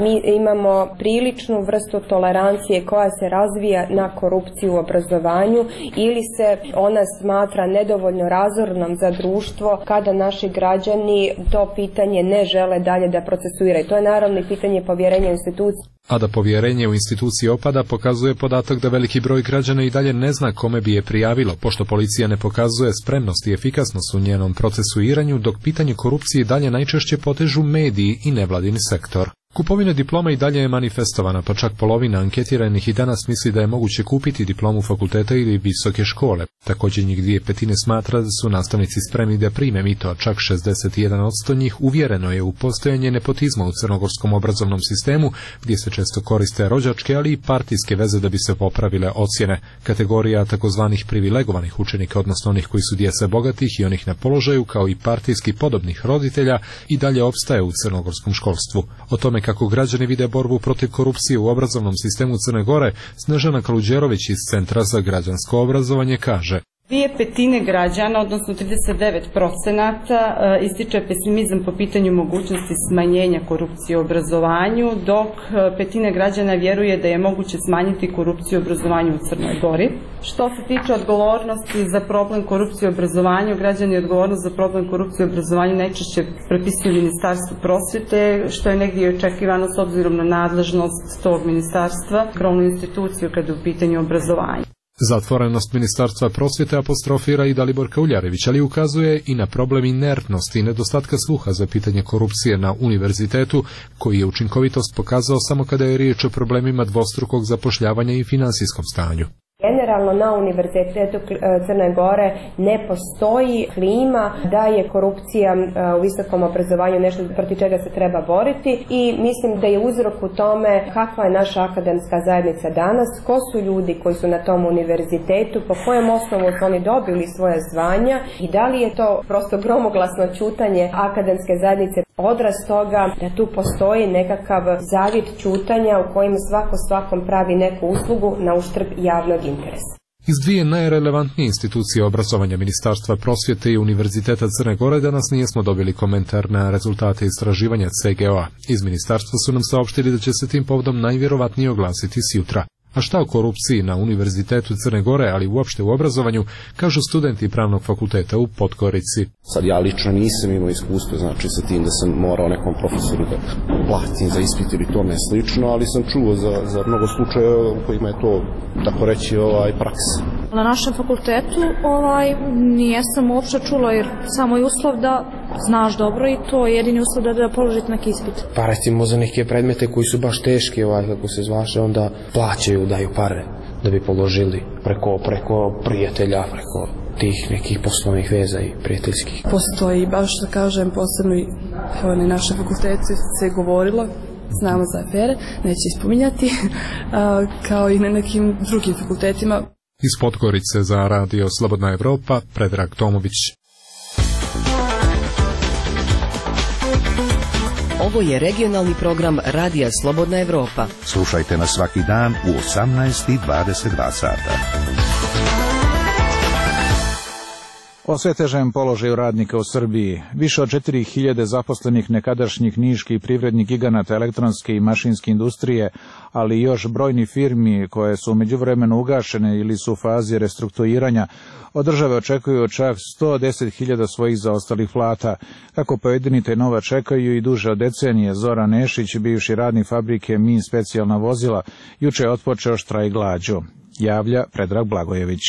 Mi imamo priličnu vrstu tolerancije koja se razvija na korupciju u obrazovanju ili se ona smatra nedovoljno razornom za društvo kada naši građani to pitanje ne žele dalje da procesuiraju. To je naravno i pitanje povjerenja u institucije. A da povjerenje u institucije opada pokazuje podatak da veliki broj građana i dalje ne zna kome bi je prijavilo, pošto policija ne pokazuje spremnost i efikasnost u njenom procesuiranju, dok pitanje korupcije dalje najčešće potežu mediji i nevladini sektor. Kupovina diploma i dalje je manifestovana, pa čak polovina anketiranih i danas misli da je moguće kupiti diplomu fakulteta ili visoke škole. Također njih dvije petine smatra da su nastavnici spremni da prime mito, a čak šezdeset jedan posto njih uvjereno je u postojanje nepotizma u crnogorskom obrazovnom sistemu, gdje se često koriste rođačke, ali i partijske veze da bi se popravile ocjene. Kategorija takozvanih privilegovanih učenika, odnosno onih koji su djeca bogatih i onih na položaju, kao i partijski podobnih roditelja, i dalje opstaje u crnogorskom školstvu. O tome kako građani vide borbu protiv korupcije u obrazovnom sistemu Crne Gore, Snežana Kaluđerović iz Centra za građansko obrazovanje kaže: Dvije petine građana, odnosno trideset devet procenata, ističe pesimizam po pitanju mogućnosti smanjenja korupcije u obrazovanju, dok petina građana vjeruje da je moguće smanjiti korupciju u obrazovanju u Crnoj Gori. Što se tiče odgovornosti za problem korupcije u obrazovanju, građani odgovornost za problem korupcije u obrazovanju najčešće prepisuju Ministarstvu prosvjete, što je negdje očekivano s obzirom na nadležnost tog ministarstva, krovnu instituciju kada je u pitanju obrazovanja. Zatvorenost Ministarstva prosvjete apostrofira i Daliborka Uljarević, ali ukazuje i na problem inertnosti i nedostatka sluha za pitanje korupcije na univerzitetu, koji je učinkovitost pokazao samo kada je riječ o problemima dvostrukog zapošljavanja i finansijskom stanju. Generalno na Univerzitetu Crne Gore ne postoji klima da je korupcija u visokom obrazovanju nešto protiv čega se treba boriti i mislim da je uzrok u tome kakva je naša akademska zajednica danas, ko su ljudi koji su na tom univerzitetu, po kojem osnovu su oni dobili svoja zvanja i da li je to prosto gromoglasno ćutanje akademske zajednice odraz toga da tu postoji nekakav zavit ćutanja u kojim svako svakom pravi neku uslugu na uštrb javnog interesa. Iz dvije najrelevantnije institucije obrazovanja Ministarstva prosvjete i Univerziteta Crne Gore danas nismo dobili komentar na rezultate istraživanja C G O A. Iz ministarstva su nam saopštili da će se tim povodom najvjerovatnije oglasiti sjutra. A šta o korupciji na Univerzitetu Crne Gore, ali uopšte u obrazovanju, kažu studenti Pravnog fakulteta u Podgorici. Sad ja lično nisam imao iskustvo, znači sa tim da sam morao nekom profesoru da platim za ispit ili tome slično, ali sam čuo za, za mnogo slučajeva u kojima je to, tako reći, ovaj, praksa. Na našem fakultetu ovaj, nijesam uopšte čula, jer samo je uslov da znaš dobro i to je jedini uslov da, da položite neki ispit. Pa recimo za neke predmete koji su baš teški, ovaj, kako se zvaše, onda plaćaju, daju pare da bi položili preko, preko prijatelja, preko tih nekih poslovnih veza i prijateljskih. Postoji, baš da kažem, posebno i na našem fakultetu se govorilo, znamo za afere, neće ispominjati, kao i na nekim drugim fakultetima. Iz Podgorice za radio Slobodna Evropa, Predrag Tomović. Ovo je regionalni program Radija Slobodna Evropa. Slušajte nas svaki dan u osamnaest i dvadeset dva sata. O sve težem položaju radnika u Srbiji. Više od četiri hiljade zaposlenih nekadašnjih niških privrednih giganata elektronske i mašinske industrije, ali i još brojni firmi koje su u međuvremenu ugašene ili su u fazi restrukturiranja, od države očekuju čak sto deset hiljada svojih zaostalih plata. Kako pojedini taj nova čekaju i duže od decenije, Zoran Nešić, bivši radnik fabrike Min specijalna vozila, juče je otpočeo štrajk glađu. Javlja Predrag Blagojević.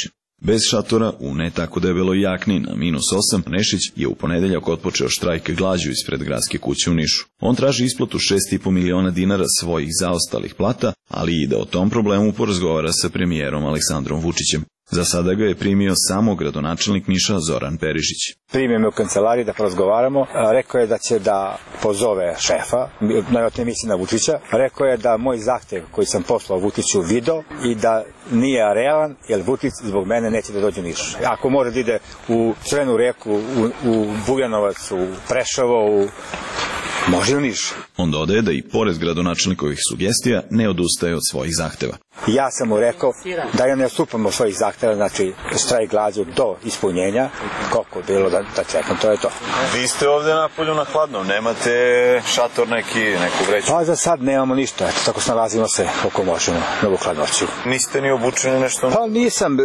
Bez šatora, u ne tako debeloj jakni na minus osam, Nešić je u ponedeljak otpočeo štrajk glađu ispred gradske kuće u Nišu. On traži isplatu šest i po miliona dinara svojih zaostalih plata, ali i da o tom problemu porazgovara sa premijerom Aleksandrom Vučićem. Za sada ga je primio samo gradonačelnik Niša Zoran Perišić. Primio me u kancelariji da porazgovaramo. Rekao je da će da pozove šefa, najvjerojatnije misli na Vučića. Rekao je da moj zahtev koji sam poslao Vučiću video i da nije realan, jer Vučić zbog mene neće da dođe u Niš. Ako može da ide u Crvenu reku, u, u Bujanovac, u Preševo, u može u Niš. On dodaje da i pored gradonačelnikovih sugestija ne odustaje od svojih zahteva. Ja sam mu rekao da ja ne odstupam od svojih zahteva, znači štrajk glađu do ispunjenja, koliko je bilo da, da čekam, to je to. Vi ste ovde na polju na hladno, nemate šator neki, neku vreću? Pa za sad nemamo ništa, eto, tako snalazimo se koliko možemo na ovu hladnoću. Niste ni obučeni nešto? Pa nisam,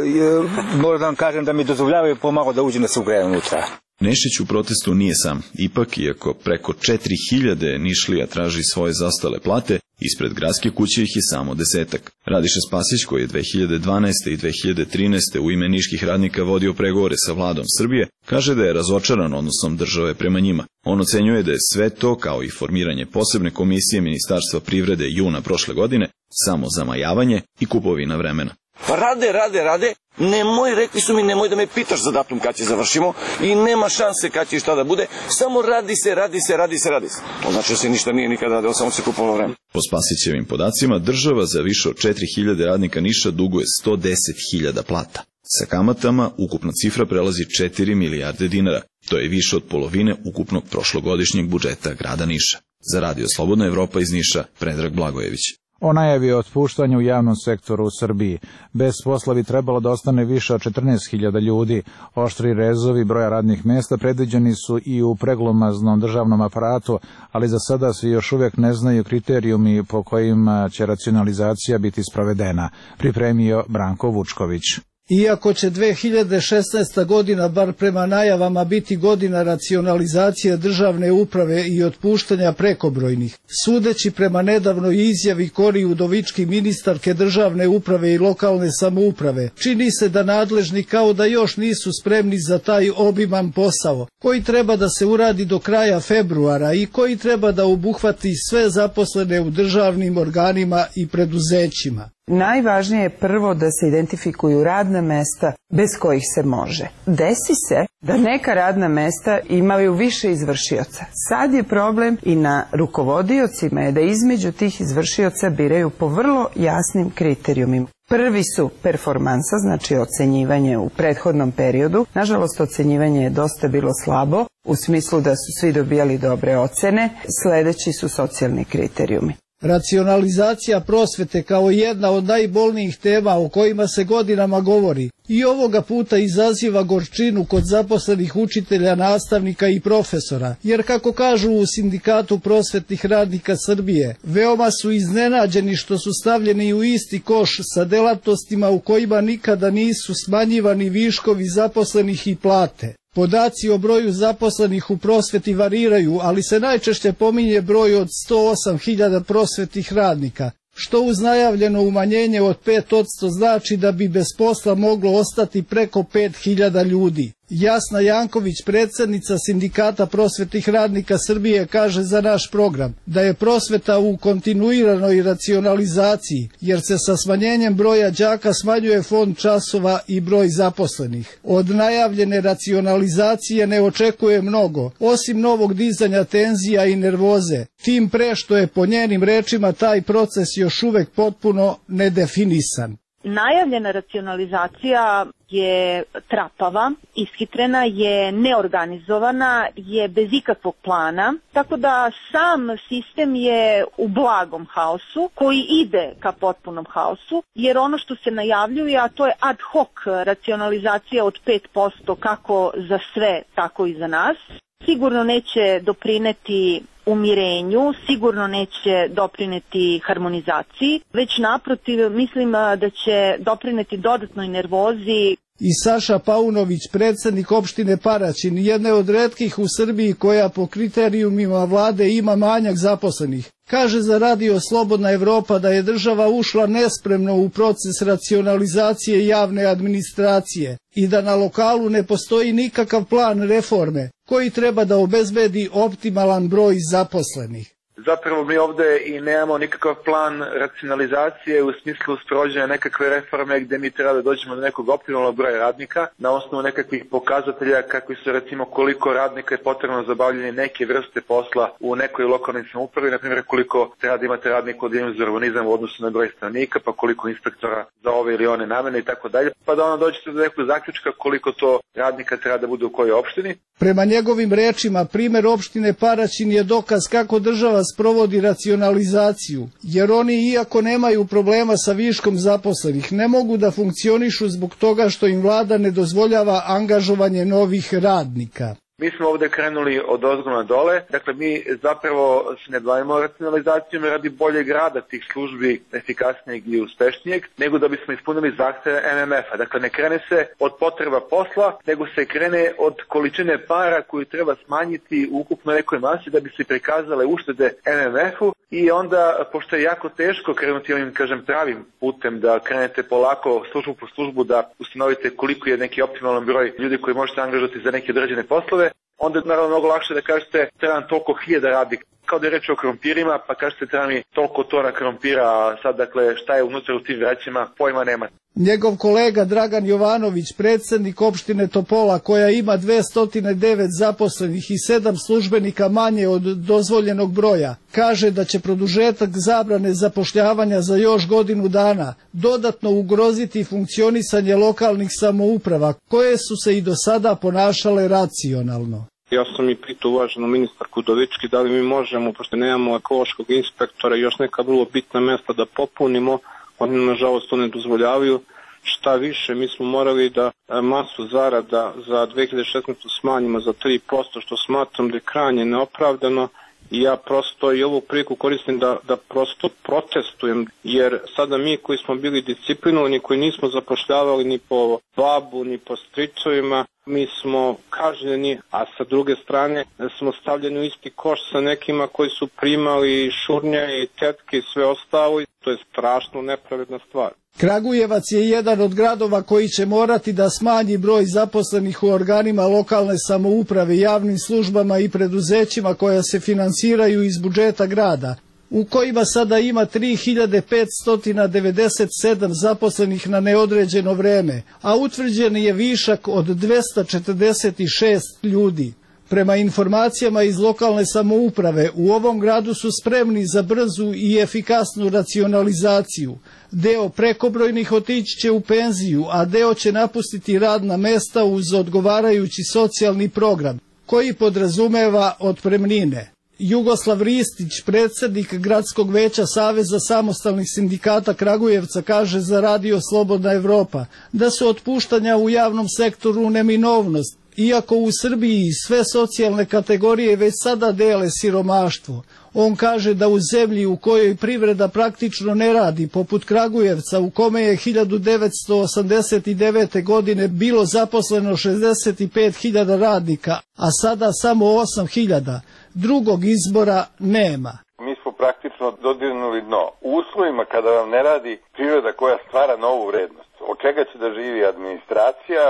moram da vam kažem da mi dozvoljavaju pomalo da uđem da se ugrejem unutra. Nešić u protestu nije sam. Ipak, iako preko četiri hiljade Nišlija traži svoje zaostale plate, ispred gradske kuće ih je samo desetak. Radiša Spasić, koji je dve hiljade dvanaeste. i dve hiljade trinaeste. u ime niških radnika vodio pregovore sa vladom Srbije, kaže da je razočaran odnosom države prema njima. On ocenjuje da je sve to, kao i formiranje posebne komisije Ministarstva privrede juna prošle godine, samo zamajavanje i kupovina vremena. Pa rade, rade, rade, nemoj, rekli su mi, nemoj da me pitaš za datum kad će završimo i nema šanse kad će i šta da bude, samo radi se, radi se, radi se, radi se. To znači da se ništa nije nikada radilo, samo se kupovalo vreme. Po Spasićevim podacima, država za više od četiri hiljade radnika Niša duguje sto deset hiljada plata. Sa kamatama ukupna cifra prelazi četiri milijarde dinara. To je više od polovine ukupnog prošlogodišnjeg budžeta grada Niša. Za radio Slobodna Evropa iz Niša, Predrag Blagojević. O najavi o otpuštanju u javnom sektoru u Srbiji. Bez posla bi trebalo da ostane više od četrnaest hiljada ljudi. Oštri rezovi broja radnih mesta predviđeni su i u preglomaznom državnom aparatu, ali za sada se još uvijek ne znaju kriterijumi po kojima će racionalizacija biti sprovedena, pripremio Branko Vučković. Iako će dve hiljade šesnaesta. godina, bar prema najavama, biti godina racionalizacije državne uprave i otpuštanja prekobrojnih, sudeći prema nedavnoj izjavi Kori Udovički, ministarke državne uprave i lokalne samouprave, čini se da nadležni kao da još nisu spremni za taj obiman posao, koji treba da se uradi do kraja februara i koji treba da obuhvati sve zaposlene u državnim organima i preduzećima. Najvažnije je prvo da se identifikuju radna mesta bez kojih se može. Desi se da neka radna mesta imaju više izvršioca. Sad je problem i na rukovodiocima je da između tih izvršioca biraju po vrlo jasnim kriterijumima. Prvi su performansa, znači ocenjivanje u prethodnom periodu. Nažalost, ocenjivanje je dosta bilo slabo, u smislu da su svi dobijali dobre ocene. Sledeći su socijalni kriterijumi. Racionalizacija prosvete kao jedna od najbolnijih tema o kojima se godinama govori i ovoga puta izaziva gorčinu kod zaposlenih učitelja, nastavnika i profesora, jer kako kažu u Sindikatu prosvetnih radnika Srbije, veoma su iznenađeni što su stavljeni u isti koš sa delatnostima u kojima nikada nisu smanjivani viškovi zaposlenih i plate. Podaci o broju zaposlenih u prosveti variraju, ali se najčešće pominje broj od sto osam hiljada prosvetnih radnika, što uz najavljeno umanjenje od pet posto znači da bi bez posla moglo ostati preko pet hiljada ljudi. Jasna Janković, predsjednica Sindikata prosvetnih radnika Srbije, kaže za naš program da je prosveta u kontinuiranoj racionalizaciji, jer se sa smanjenjem broja đaka smanjuje fond časova i broj zaposlenih. Od najavljene racionalizacije ne očekuje mnogo, osim novog dizanja tenzija i nervoze, tim pre što je po njenim rečima taj proces još uvek potpuno nedefinisan. Najavljena racionalizacija je trapava, ishitrena je, neorganizovana, je bez ikakvog plana, tako da sam sistem je u blagom haosu koji ide ka potpunom haosu, jer ono što se najavljuje, a to je ad hoc racionalizacija od pet posto kako za sve, tako i za nas, sigurno neće doprineti umirenju, sigurno neće doprineti harmonizaciji, već naprotiv mislim da će doprineti dodatnoj nervozi. I Saša Paunović, predsjednik opštine Paraćin, jedne od retkih u Srbiji koja po kriterijumima vlade ima manjak zaposlenih, kaže za Radio Slobodna Evropa da je država ušla nespremno u proces racionalizacije javne administracije i da na lokalu ne postoji nikakav plan reforme koji treba da obezbedi optimalan broj zaposlenih. Zapravo mi ovde i nemamo nikakav plan racionalizacije u smislu sprovođenja nekakve reforme gde mi treba da dođemo do nekog optimalnog broja radnika na osnovu nekakvih pokazatelja kakvi su recimo koliko radnika je potrebno za obavljanje neke vrste posla u nekoj lokalnoj samoupravi, na primjer koliko treba da imate radnika u odeljenju za urbanizam u odnosu na broj stanovnika, pa koliko inspektora za ove ili one namene i tako dalje, pa da ono dođete do nekog zaključka koliko to radnika treba da bude u kojoj opštini. Prema njegovim rečima, primer opštine Paraćin je dokaz kako država sprovodi racionalizaciju, jer oni, iako nemaju problema sa viškom zaposlenih, ne mogu da funkcionišu zbog toga što im vlada ne dozvoljava angažovanje novih radnika. Mi smo ovde krenuli od ozgo na dole, dakle mi zapravo se ne bavimo racionalizacijom radi boljeg rada tih službi, efikasnijeg i uspešnijeg, nego da bismo ispunili zahteve M M F-a. Dakle ne krene se od potreba posla, nego se krene od količine para koju treba smanjiti u ukupno nekoj masi da bi se prikazale uštede M M F-u i onda, pošto je jako teško krenuti ovim, kažem, pravim putem da krenete polako službu po službu da ustanovite koliko je neki optimalan broj ljudi koji možete angažovati za neke određene poslove, onda je naravno mnogo lakše da kažete treba nam toliko hiljada radnika. Kao da je reč o krompirima, pa kažete treba mi toliko tona krompira, a sad dakle šta je unutra u tim vrećima, pojma nema. Njegov kolega Dragan Jovanović, predsjednik opštine Topola koja ima dvesta devet zaposlenih i sedam službenika manje od dozvoljenog broja, kaže da će produžetak zabrane zapošljavanja za još godinu dana dodatno ugroziti funkcionisanje lokalnih samouprava koje su se i do sada ponašale racionalno. Ja sam i pitao uvaženu ministarku Udovički da li mi možemo, pošto nemamo ekološkog inspektora i još neka vrlo bitna mesta da popunimo, oni nažalost to ne dozvoljavaju. Šta više, mi smo morali da masu zarada za dve hiljade šesnaestu smanjimo za tri posto, što smatram da je krajnje neopravdano i ja prosto i ovu priliku koristim da, da prosto protestujem, jer sada mi koji smo bili disciplinovani, koji nismo zapošljavali ni po babu, ni po stricovima, mi smo kažnjeni, a sa druge strane smo stavljeni u isti koš sa nekima koji su primali šurnje i tetke i sve ostalo i to je strašno nepravedna stvar. Kragujevac je jedan od gradova koji će morati da smanji broj zaposlenih u organima lokalne samouprave, javnim službama i preduzećima koja se finansiraju iz budžeta grada, u kojima sada ima tri hiljade petsto devedeset sedam zaposlenih na neodređeno vreme, a utvrđen je višak od dvesta četrdeset šest ljudi. Prema informacijama iz lokalne samouprave, u ovom gradu su spremni za brzu i efikasnu racionalizaciju. Deo prekobrojnih otići će u penziju, a deo će napustiti radna mesta uz odgovarajući socijalni program, koji podrazumeva otpremnine. Jugoslav Ristić, predsjednik Gradskog veća Saveza samostalnih sindikata Kragujevca, kaže za Radio Slobodna Evropa da su otpuštanja u javnom sektoru neminovnost, iako u Srbiji sve socijalne kategorije već sada dele siromaštvo. On kaže da u zemlji u kojoj privreda praktično ne radi, poput Kragujevca, u kome je hiljadu devetsto osamdeset devete. godine bilo zaposleno šezdeset pet hiljada radnika, a sada samo osam hiljada, drugog izbora nema. Mi smo praktično dodirnuli dno. U uslovima kada vam ne radi privreda koja stvara novu vrednost, od čega će da živi administracija,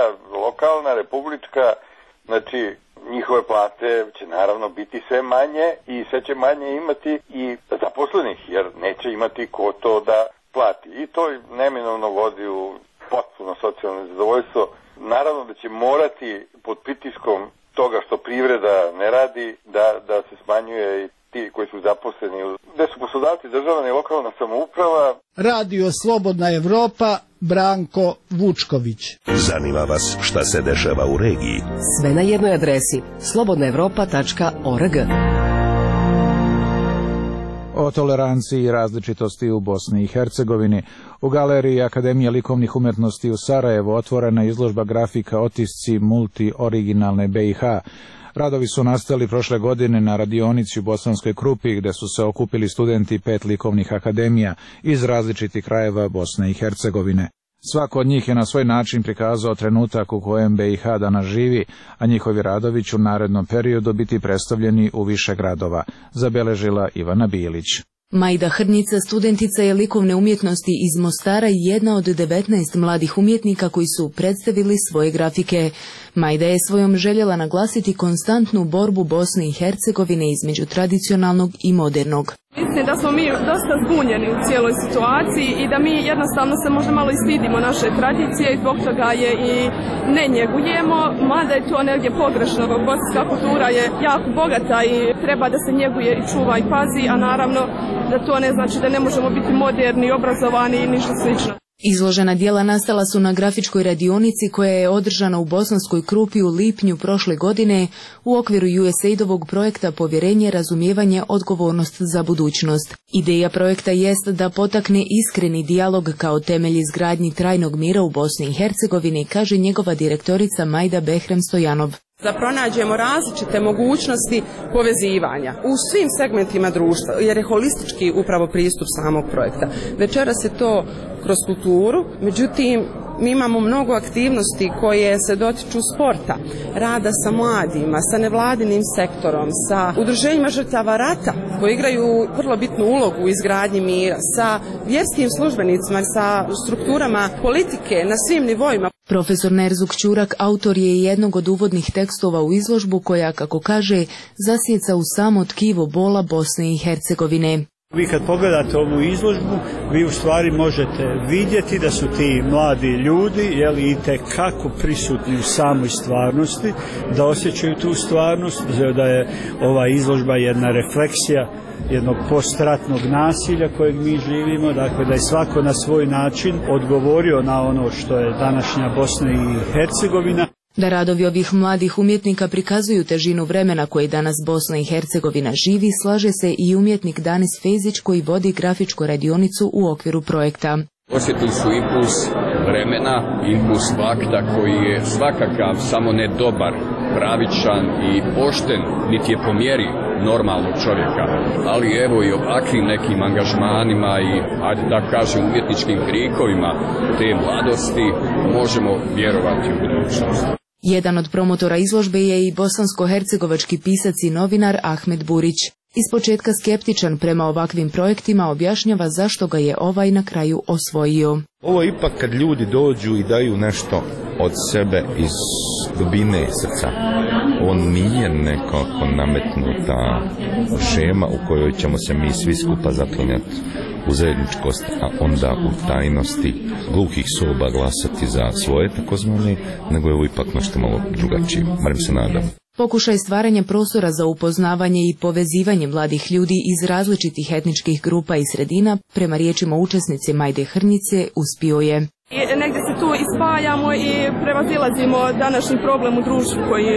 lokalna, republička, znači njihove plate će naravno biti sve manje i sve će manje imati i zaposlenih, jer neće imati ko to da plati. I to neminovno vodi u potpuno socijalno nezadovoljstvo. Naravno da će morati pod pritiskom toga što privreda ne radi da, da se smanjuje i ti koji su zaposleni, gde su poslodavci državna i lokalna samouprava. Radio Slobodna Evropa, Branko Vučković. Zanima vas šta se dešava u regiji? Sve na jednoj adresi slobodna evropa tačka org. O toleranciji i različitosti u Bosni i Hercegovini. U galeriji Akademije likovnih umetnosti u Sarajevu otvorena izložba grafika Otisci multi-originalne B i H. Radovi su nastali prošle godine na radionici u Bosanskoj Krupi, gde su se okupili studenti pet likovnih akademija iz različitih krajeva Bosne i Hercegovine. Svako od njih je na svoj način prikazao trenutak u kojem B i H danas živi, a njihovi radovi će u narednom periodu biti predstavljeni u više gradova, zabeležila Ivana Bilić. Majda Hrnica, studentica je likovne umjetnosti iz Mostara i jedna od devetnaest mladih umjetnika koji su predstavili svoje grafike. Majda je svojom željela naglasiti konstantnu borbu Bosne i Hercegovine između tradicionalnog i modernog. Mislim da smo mi dosta zbunjeni u cijeloj situaciji i da mi jednostavno se možda malo i stidimo naše tradicije i zbog toga je i ne njegujemo, mada je to negdje pogrešno. Bosanska kultura je jako bogata i treba da se njeguje i čuva i pazi, a naravno da to ne znači da ne možemo biti moderni, obrazovani i ništa slično. Izložena dijela nastala su na grafičkoj radionici koja je održana u Bosanskoj Krupi u lipnju prošle godine u okviru U S A I D-ovog projekta Povjerenje, razumijevanje, odgovornost za budućnost. Ideja projekta jest da potakne iskreni dijalog kao temelj izgradnji trajnog mira u Bosni i Hercegovini, kaže njegova direktorica Majda Behrem Stojanov. Da pronađemo različite mogućnosti povezivanja u svim segmentima društva, jer je holistički upravo pristup samog projekta. Večeras je to kroz kulturu, međutim mi imamo mnogo aktivnosti koje se dotiču sporta, rada sa mladima, sa nevladinim sektorom, sa udruženjima žrtava rata koji igraju vrlo bitnu ulogu u izgradnji mira, sa vjerskim službenicima, sa strukturama politike na svim nivoima. Profesor Nerzuk Ćurak autor je jednog od uvodnih tekstova u izložbu koja, kako kaže, zasjeca u samo tkivo bola Bosne i Hercegovine. Vi kad pogledate ovu izložbu, vi u stvari možete vidjeti da su ti mladi ljudi, jeli, itekako prisutni u samoj stvarnosti, da osjećaju tu stvarnost, da je ova izložba jedna refleksija jednog postratnog nasilja kojeg mi živimo, dakle da je svako na svoj način odgovorio na ono što je današnja Bosna i Hercegovina. Da radovi ovih mladih umjetnika prikazuju težinu vremena koje danas Bosna i Hercegovina živi, slaže se i umjetnik Danis Fejzić koji vodi grafičku radionicu u okviru projekta. Osjetili su impuls vremena, impuls fakta koji je svakakav, samo ne dobar, pravičan i pošten, niti je po mjeri normalnog čovjeka. Ali evo i ovakvim nekim angažmanima i, ajde da kažem, umjetničkim krikovima te mladosti možemo vjerovati u budućnost. Jedan od promotora izložbe je i bosansko-hercegovački pisac i novinar Ahmed Burić. Ispočetka skeptičan prema ovakvim projektima, objašnjava zašto ga je ovaj na kraju osvojio. Ovo je ipak kad ljudi dođu i daju nešto od sebe iz dubine srca. On nije nekako nametnuta šema u kojoj ćemo se mi svi skupa zaklinjati u zajedničkost, a onda u tajnosti gluhih soba glasati za svoje takozvane, nego je ovo ipak nešto malo drugačije, barem se nadam. Pokušaj stvaranja prostora za upoznavanje i povezivanje mladih ljudi iz različitih etničkih grupa i sredina, prema riječima učesnice Majde Hrnjice, uspio je. I negdje se tu ispajamo i prevazilazimo današnji problem u društvu koji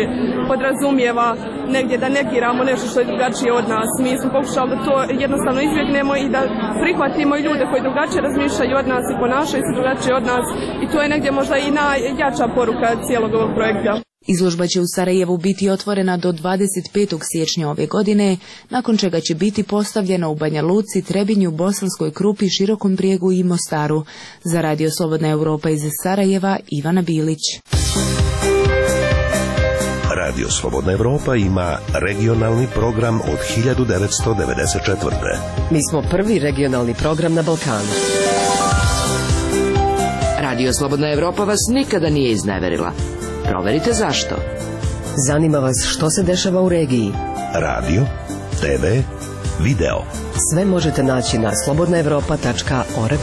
podrazumijeva negdje da negiramo nešto što je drugačije od nas. Mi smo pokušali da to jednostavno izbjegnemo i da prihvatimo i ljude koji drugačije razmišljaju od nas i ponašaju se drugačije od nas, i to je negdje možda i najjača poruka cijelog ovog projekta. Izložba će u Sarajevu biti otvorena do dvadeset petog siječnja ove godine, nakon čega će biti postavljena u Banja Luci, Trebinju, Bosanskoj Krupi, Širokom Brijegu i Mostaru. Za Radio Slobodna Europa iz Sarajeva, Ivana Bilić. Radio Slobodna Europa ima regionalni program od hiljadu devetsto devedeset četvrte. Mi smo prvi regionalni program na Balkanu. Radio Slobodna Europa vas nikada nije izneverila. Proverite zašto. Zanima vas što se dešava u regiji. Radio, te ve, video. Sve možete naći na slobodna evropa tačka org.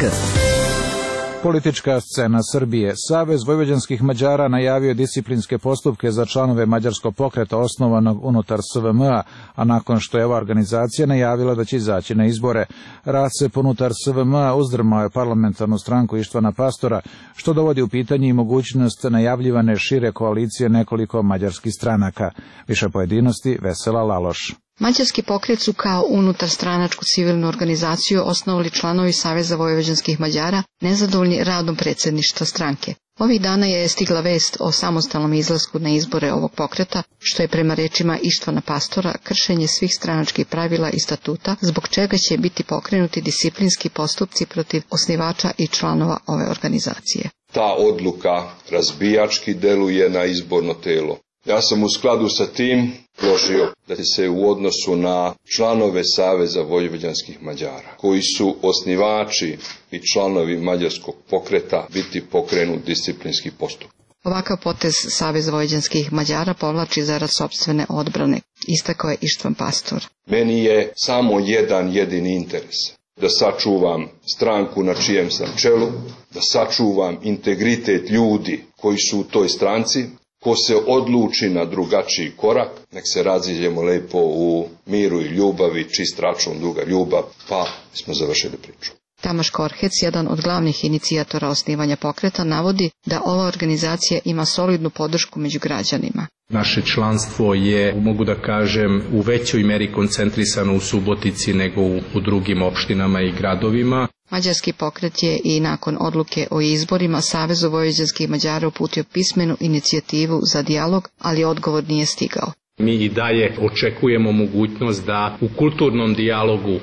Politička scena Srbije. Savez vojvođanskih Mađara najavio disciplinske postupke za članove mađarskog pokreta osnovanog unutar S V M A, a nakon što je ova organizacija najavila da će izaći na izbore. Rad se unutar S V M A uzdrmao je parlamentarnu stranku Ištvana Pastora, što dovodi u pitanje i mogućnost najavljivane šire koalicije nekoliko mađarskih stranaka. Više pojedinosti, Vesela Laloš. Mađarski pokret su kao unutarstranačku civilnu organizaciju osnovali članovi Saveza vojvođanskih Mađara nezadovoljni radom predsjedništva stranke. Ovih dana je stigla vest o samostalnom izlasku na izbore ovog pokreta, što je prema rečima Ištvana Pastora kršenje svih stranačkih pravila i statuta, zbog čega će biti pokrenuti disciplinski postupci protiv osnivača i članova ove organizacije. Ta odluka razbijački deluje na izborno telo. Ja sam u skladu sa tim prožio da će se u odnosu na članove Saveza vojvođanskih Mađara, koji su osnivači i članovi mađarskog pokreta, biti pokrenut disciplinski postupak. Ovakav potez Saveza vojvođanskih Mađara povlači zarad sopstvene odbrane, istakao je Ištvan Pastor. Meni je samo jedan jedini interes. Da sačuvam stranku na čijem sam čelu, da sačuvam integritet ljudi koji su u toj stranci. Ko se odluči na drugačiji korak, nek se raziđemo lepo u miru i ljubavi, čist račun, duga ljubav, pa smo završili priču. Tamaš Korhec, jedan od glavnih inicijatora osnivanja pokreta, navodi da ova organizacija ima solidnu podršku među građanima. Naše članstvo je, mogu da kažem, u većoj meri koncentrisano u Subotici nego u, u drugim opštinama i gradovima. Mađarski pokret je i nakon odluke o izborima Savezu vojvođanskih Mađara uputio pismenu inicijativu za dijalog, ali odgovor nije stigao. Mi i dalje očekujemo mogućnost da u kulturnom dijalogu e,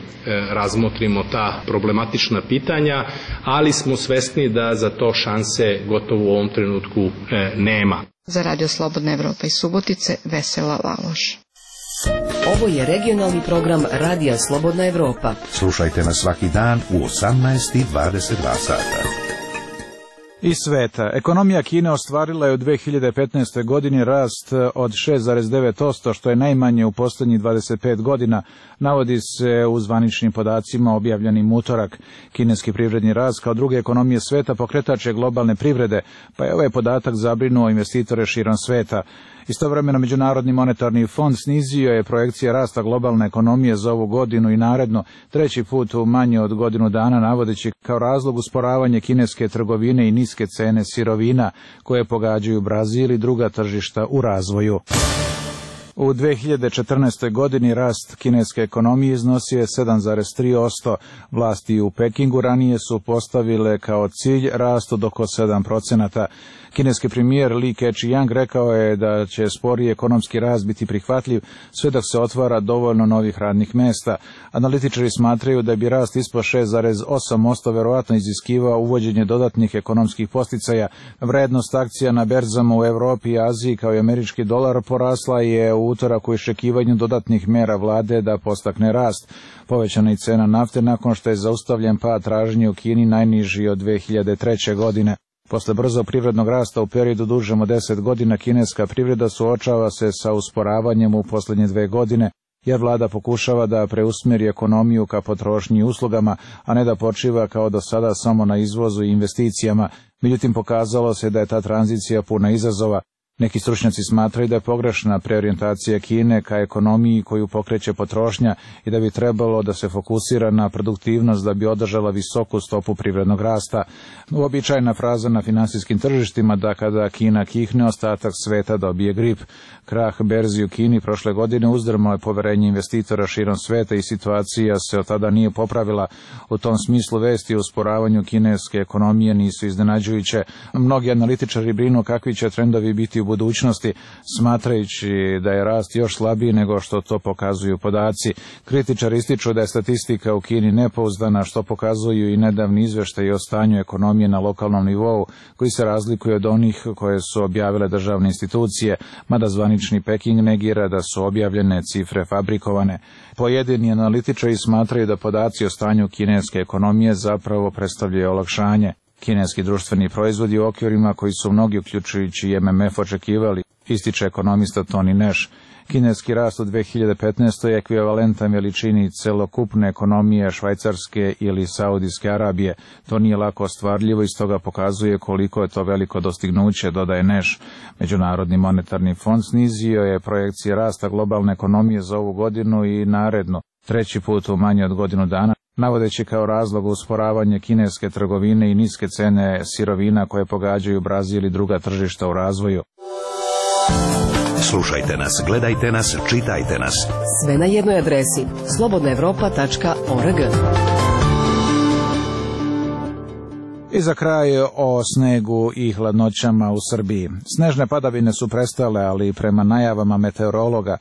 razmotrimo ta problematična pitanja, ali smo svesni da za to šanse gotovo u ovom trenutku e, nema. Za Radio Slobodna Evropa iz Subotice, Vesela Laloš. Ovo je regionalni program Radija Slobodna Evropa. Slušajte nas svaki dan u osamnaest i dvadeset dva sata. Iz sveta. Ekonomija Kine ostvarila je u dve hiljade petnaestoj godini rast od šest zarez devet posto, što je najmanje u posljednjih dvadeset pet godina, navodi se u zvaničnim podacima objavljenim utorak. Kineski privredni rast kao druge ekonomije sveta pokretač je globalne privrede, pa je ovaj podatak zabrinuo investitore širom sveta. Istovremeno Međunarodni monetarni fond snizio je projekcije rasta globalne ekonomije za ovu godinu i naredno, treći put u manje od godinu dana, navodeći kao razlog usporavanje kineske trgovine i niske cene sirovina koje pogađaju Brazil i druga tržišta u razvoju. U dve hiljade četrnaestoj godini rast kineske ekonomije iznosio je sedam zarez tri posto. Vlasti u Pekingu ranije su postavile kao cilj rast od oko sedam procenata. Kineski premijer Li Keqiang rekao je da će sporiji ekonomski rast biti prihvatljiv sve dok se otvara dovoljno novih radnih mesta. Analitičari smatraju da bi rast ispod šest zarez osam posto verovatno iziskivao uvođenje dodatnih ekonomskih posticaja. Vrednost akcija na berzama u Evropi i Aziji kao i američki dolar porasla je u utorak u iščekivanju dodatnih mera vlade da postakne rast. Povećana je cena nafte nakon što je zaustavljen pad tražnje u Kini najniži od dve hiljade treće godine. Posle brzo privrednog rasta u periodu dužem od deset godina, kineska privreda suočava se sa usporavanjem u posljednje dve godine, jer vlada pokušava da preusmjeri ekonomiju ka potrošnji i uslugama, a ne da počiva kao do sada samo na izvozu i investicijama. Međutim, pokazalo se da je ta tranzicija puna izazova. Neki stručnjaci smatraju da je pogrešna preorijentacija Kine ka ekonomiji koju pokreće potrošnja i da bi trebalo da se fokusira na produktivnost da bi održala visoku stopu privrednog rasta. Uobičajena fraza na finansijskim tržištima da kada Kina kihne, ostatak sveta dobije grip. Krah berzi u Kini prošle godine uzdrmao je poverenje investitora širom sveta i situacija se od tada nije popravila. U tom smislu vesti o usporavanju kineske ekonomije nisu iznenađujuće. Mnogi analitičari brinu kakvi će trendovi biti u budućnosti, smatrajući da je rast još slabiji nego što to pokazuju podaci. Kritičari ističu da je statistika u Kini nepouzdana, što pokazuju i nedavni izveštaji o stanju ekonomije na lokalnom nivou, koji se razlikuje od onih koje su objavile državne institucije, mada zvanični Peking negira da su objavljene cifre fabrikovane. Pojedini analitičari smatraju da podaci o stanju kineske ekonomije zapravo predstavljaju olakšanje. Kineski društveni proizvodi u okvirima koji su mnogi, uključujući i M M F, očekivali, ističe ekonomista Tony Nash. Kineski rast u dve hiljade petnaestoj je ekvivalentan veličini celokupne ekonomije Švajcarske ili Saudijske Arabije. To nije lako ostvarljivo i stoga pokazuje koliko je to veliko dostignuće, dodaje Nash. Međunarodni monetarni fond snizio je projekcije rasta globalne ekonomije za ovu godinu i narednu, treći put u manje od godinu dana, navodeći kao razlog usporavanje kineske trgovine i niske cene sirovina koje pogađaju Brazil i druga tržišta u razvoju. Slušajte nas, gledajte nas, čitajte nas. Sve na jednoj adresi slobodna evropa tačka org. I za kraj o snegu i hladnoćama u Srbiji. Snežne padavine su prestale, ali prema najavama meteorologa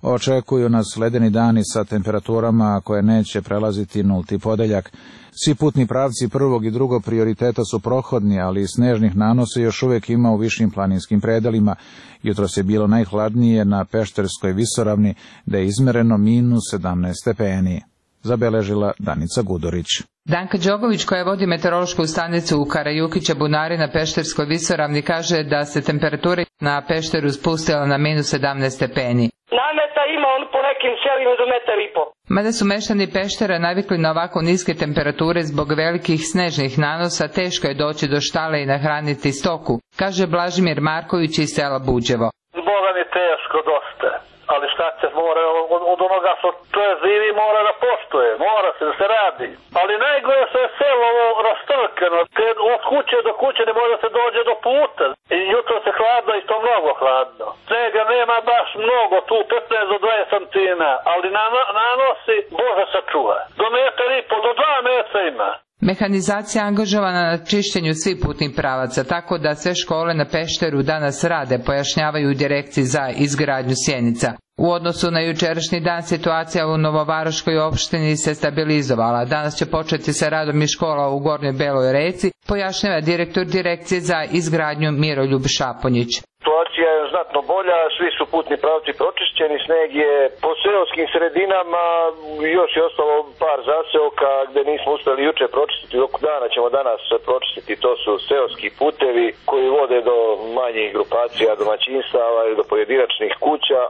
očekuju nas ledeni dani sa temperaturama koje neće prelaziti nulti podeljak. Svi putni pravci prvog i drugog prioriteta su prohodni, ali snežnih nanosa još uvijek ima u višim planinskim predelima. Jutros je bilo najhladnije na Pešterskoj visoravni, da je izmereno minus sedamnaest stepeni. Zabeležila Danica Gudorić. Danka Đogović, koja vodi meteorološku stanicu u Karajukića Bunari na Pešterskoj visoravni, kaže da se temperatura na Pešteru spustila na minus sedamnaest stepeni. Nameta ima on po nekim selima do metar i po. Mada su meštani Peštera navikli na ovako niske temperature zbog velikih snežnih nanosa, teško je doći do štale i nahraniti stoku, kaže Blažimir Marković iz sela Buđevo. Boga mi teško dosta, ali šta se mora od, od onoga što to je živi mora da poštuje, mora se da se radi. Ali najgore što je selo ovo rastrkano, kad od kuće do kuće ne može da se dođe do puta. I jutro se hladno i to mnogo hladno. Snega nema baš mnogo, tu petnaest do dvadeset santina, ali na, nanosi Bože sačuva. Do metar i po, do dva metra ima. Mehanizacija je angažovana na čišćenju svih putnih pravaca, tako da sve škole na Pešteru danas rade, pojašnjavaju u direkciji za izgradnju Sjenica. U odnosu na jučerašnji dan situacija u Novovaroškoj opštini se stabilizovala. Danas će početi sa radom i škola u Gornjoj Beloj Reci, pojašnjava direktor direkcije za izgradnju Miroljub Šaponjić. Situacija je znatno bolja, svi su putni pravci pročišćeni, sneg je po seoskim sredinama, još je ostalo par zaseoka gde nismo uspeli juče pročistiti, dok dana ćemo danas pročistiti, to su seoski putevi koji vode do manjih grupacija, domaćinstava ili do pojedinačnih kuća.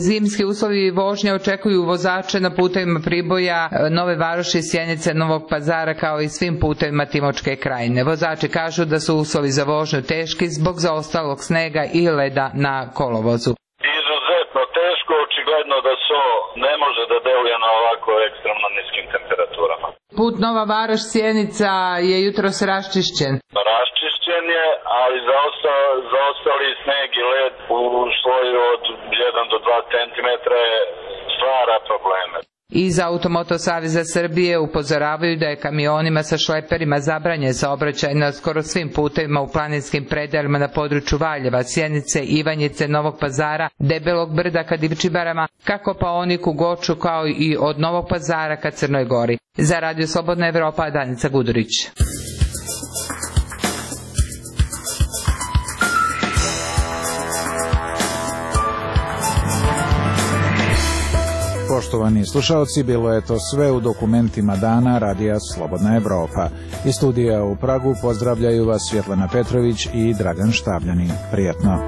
Zimski uslovi vožnje očekuju vozače na putevima Priboja, Nove Varoši, Sjenice, Novog Pazara kao i svim putevima Timočke krajine. Vozači kažu da su uslovi za vožnju teški zbog zaostalog snega i leda na kolovozu. Izuzetno teško, očigledno da so ne može da deluje na ovako ekstremno niskim temperaturama. Put Nova Varoš, Sjenica je jutros raščišćen. Raščišćen je, ali zaostali, zaostali sneg i led u sloju od jedan do dva centimetra stvara probleme. Iz Automoto Saveza Srbije upozoravaju da je kamionima sa šleperima zabranjen saobraćaj na skoro svim putevima u planinskim predelima na području Valjeva, Sjenice, Ivanjice, Novog Pazara, Debelog brda ka Divčibarama, ka Kopaoniku, Goču kao i od Novog Pazara ka Crnoj Gori. Za Radio Slobodna Evropa, Danica Gudurić. Poštovani slušalci, bilo je to sve u dokumentima dana Radija Slobodna Evropa. Iz studija u Pragu pozdravljaju vas Svjetlana Petrović i Dragan Štavljanin. Prijetno.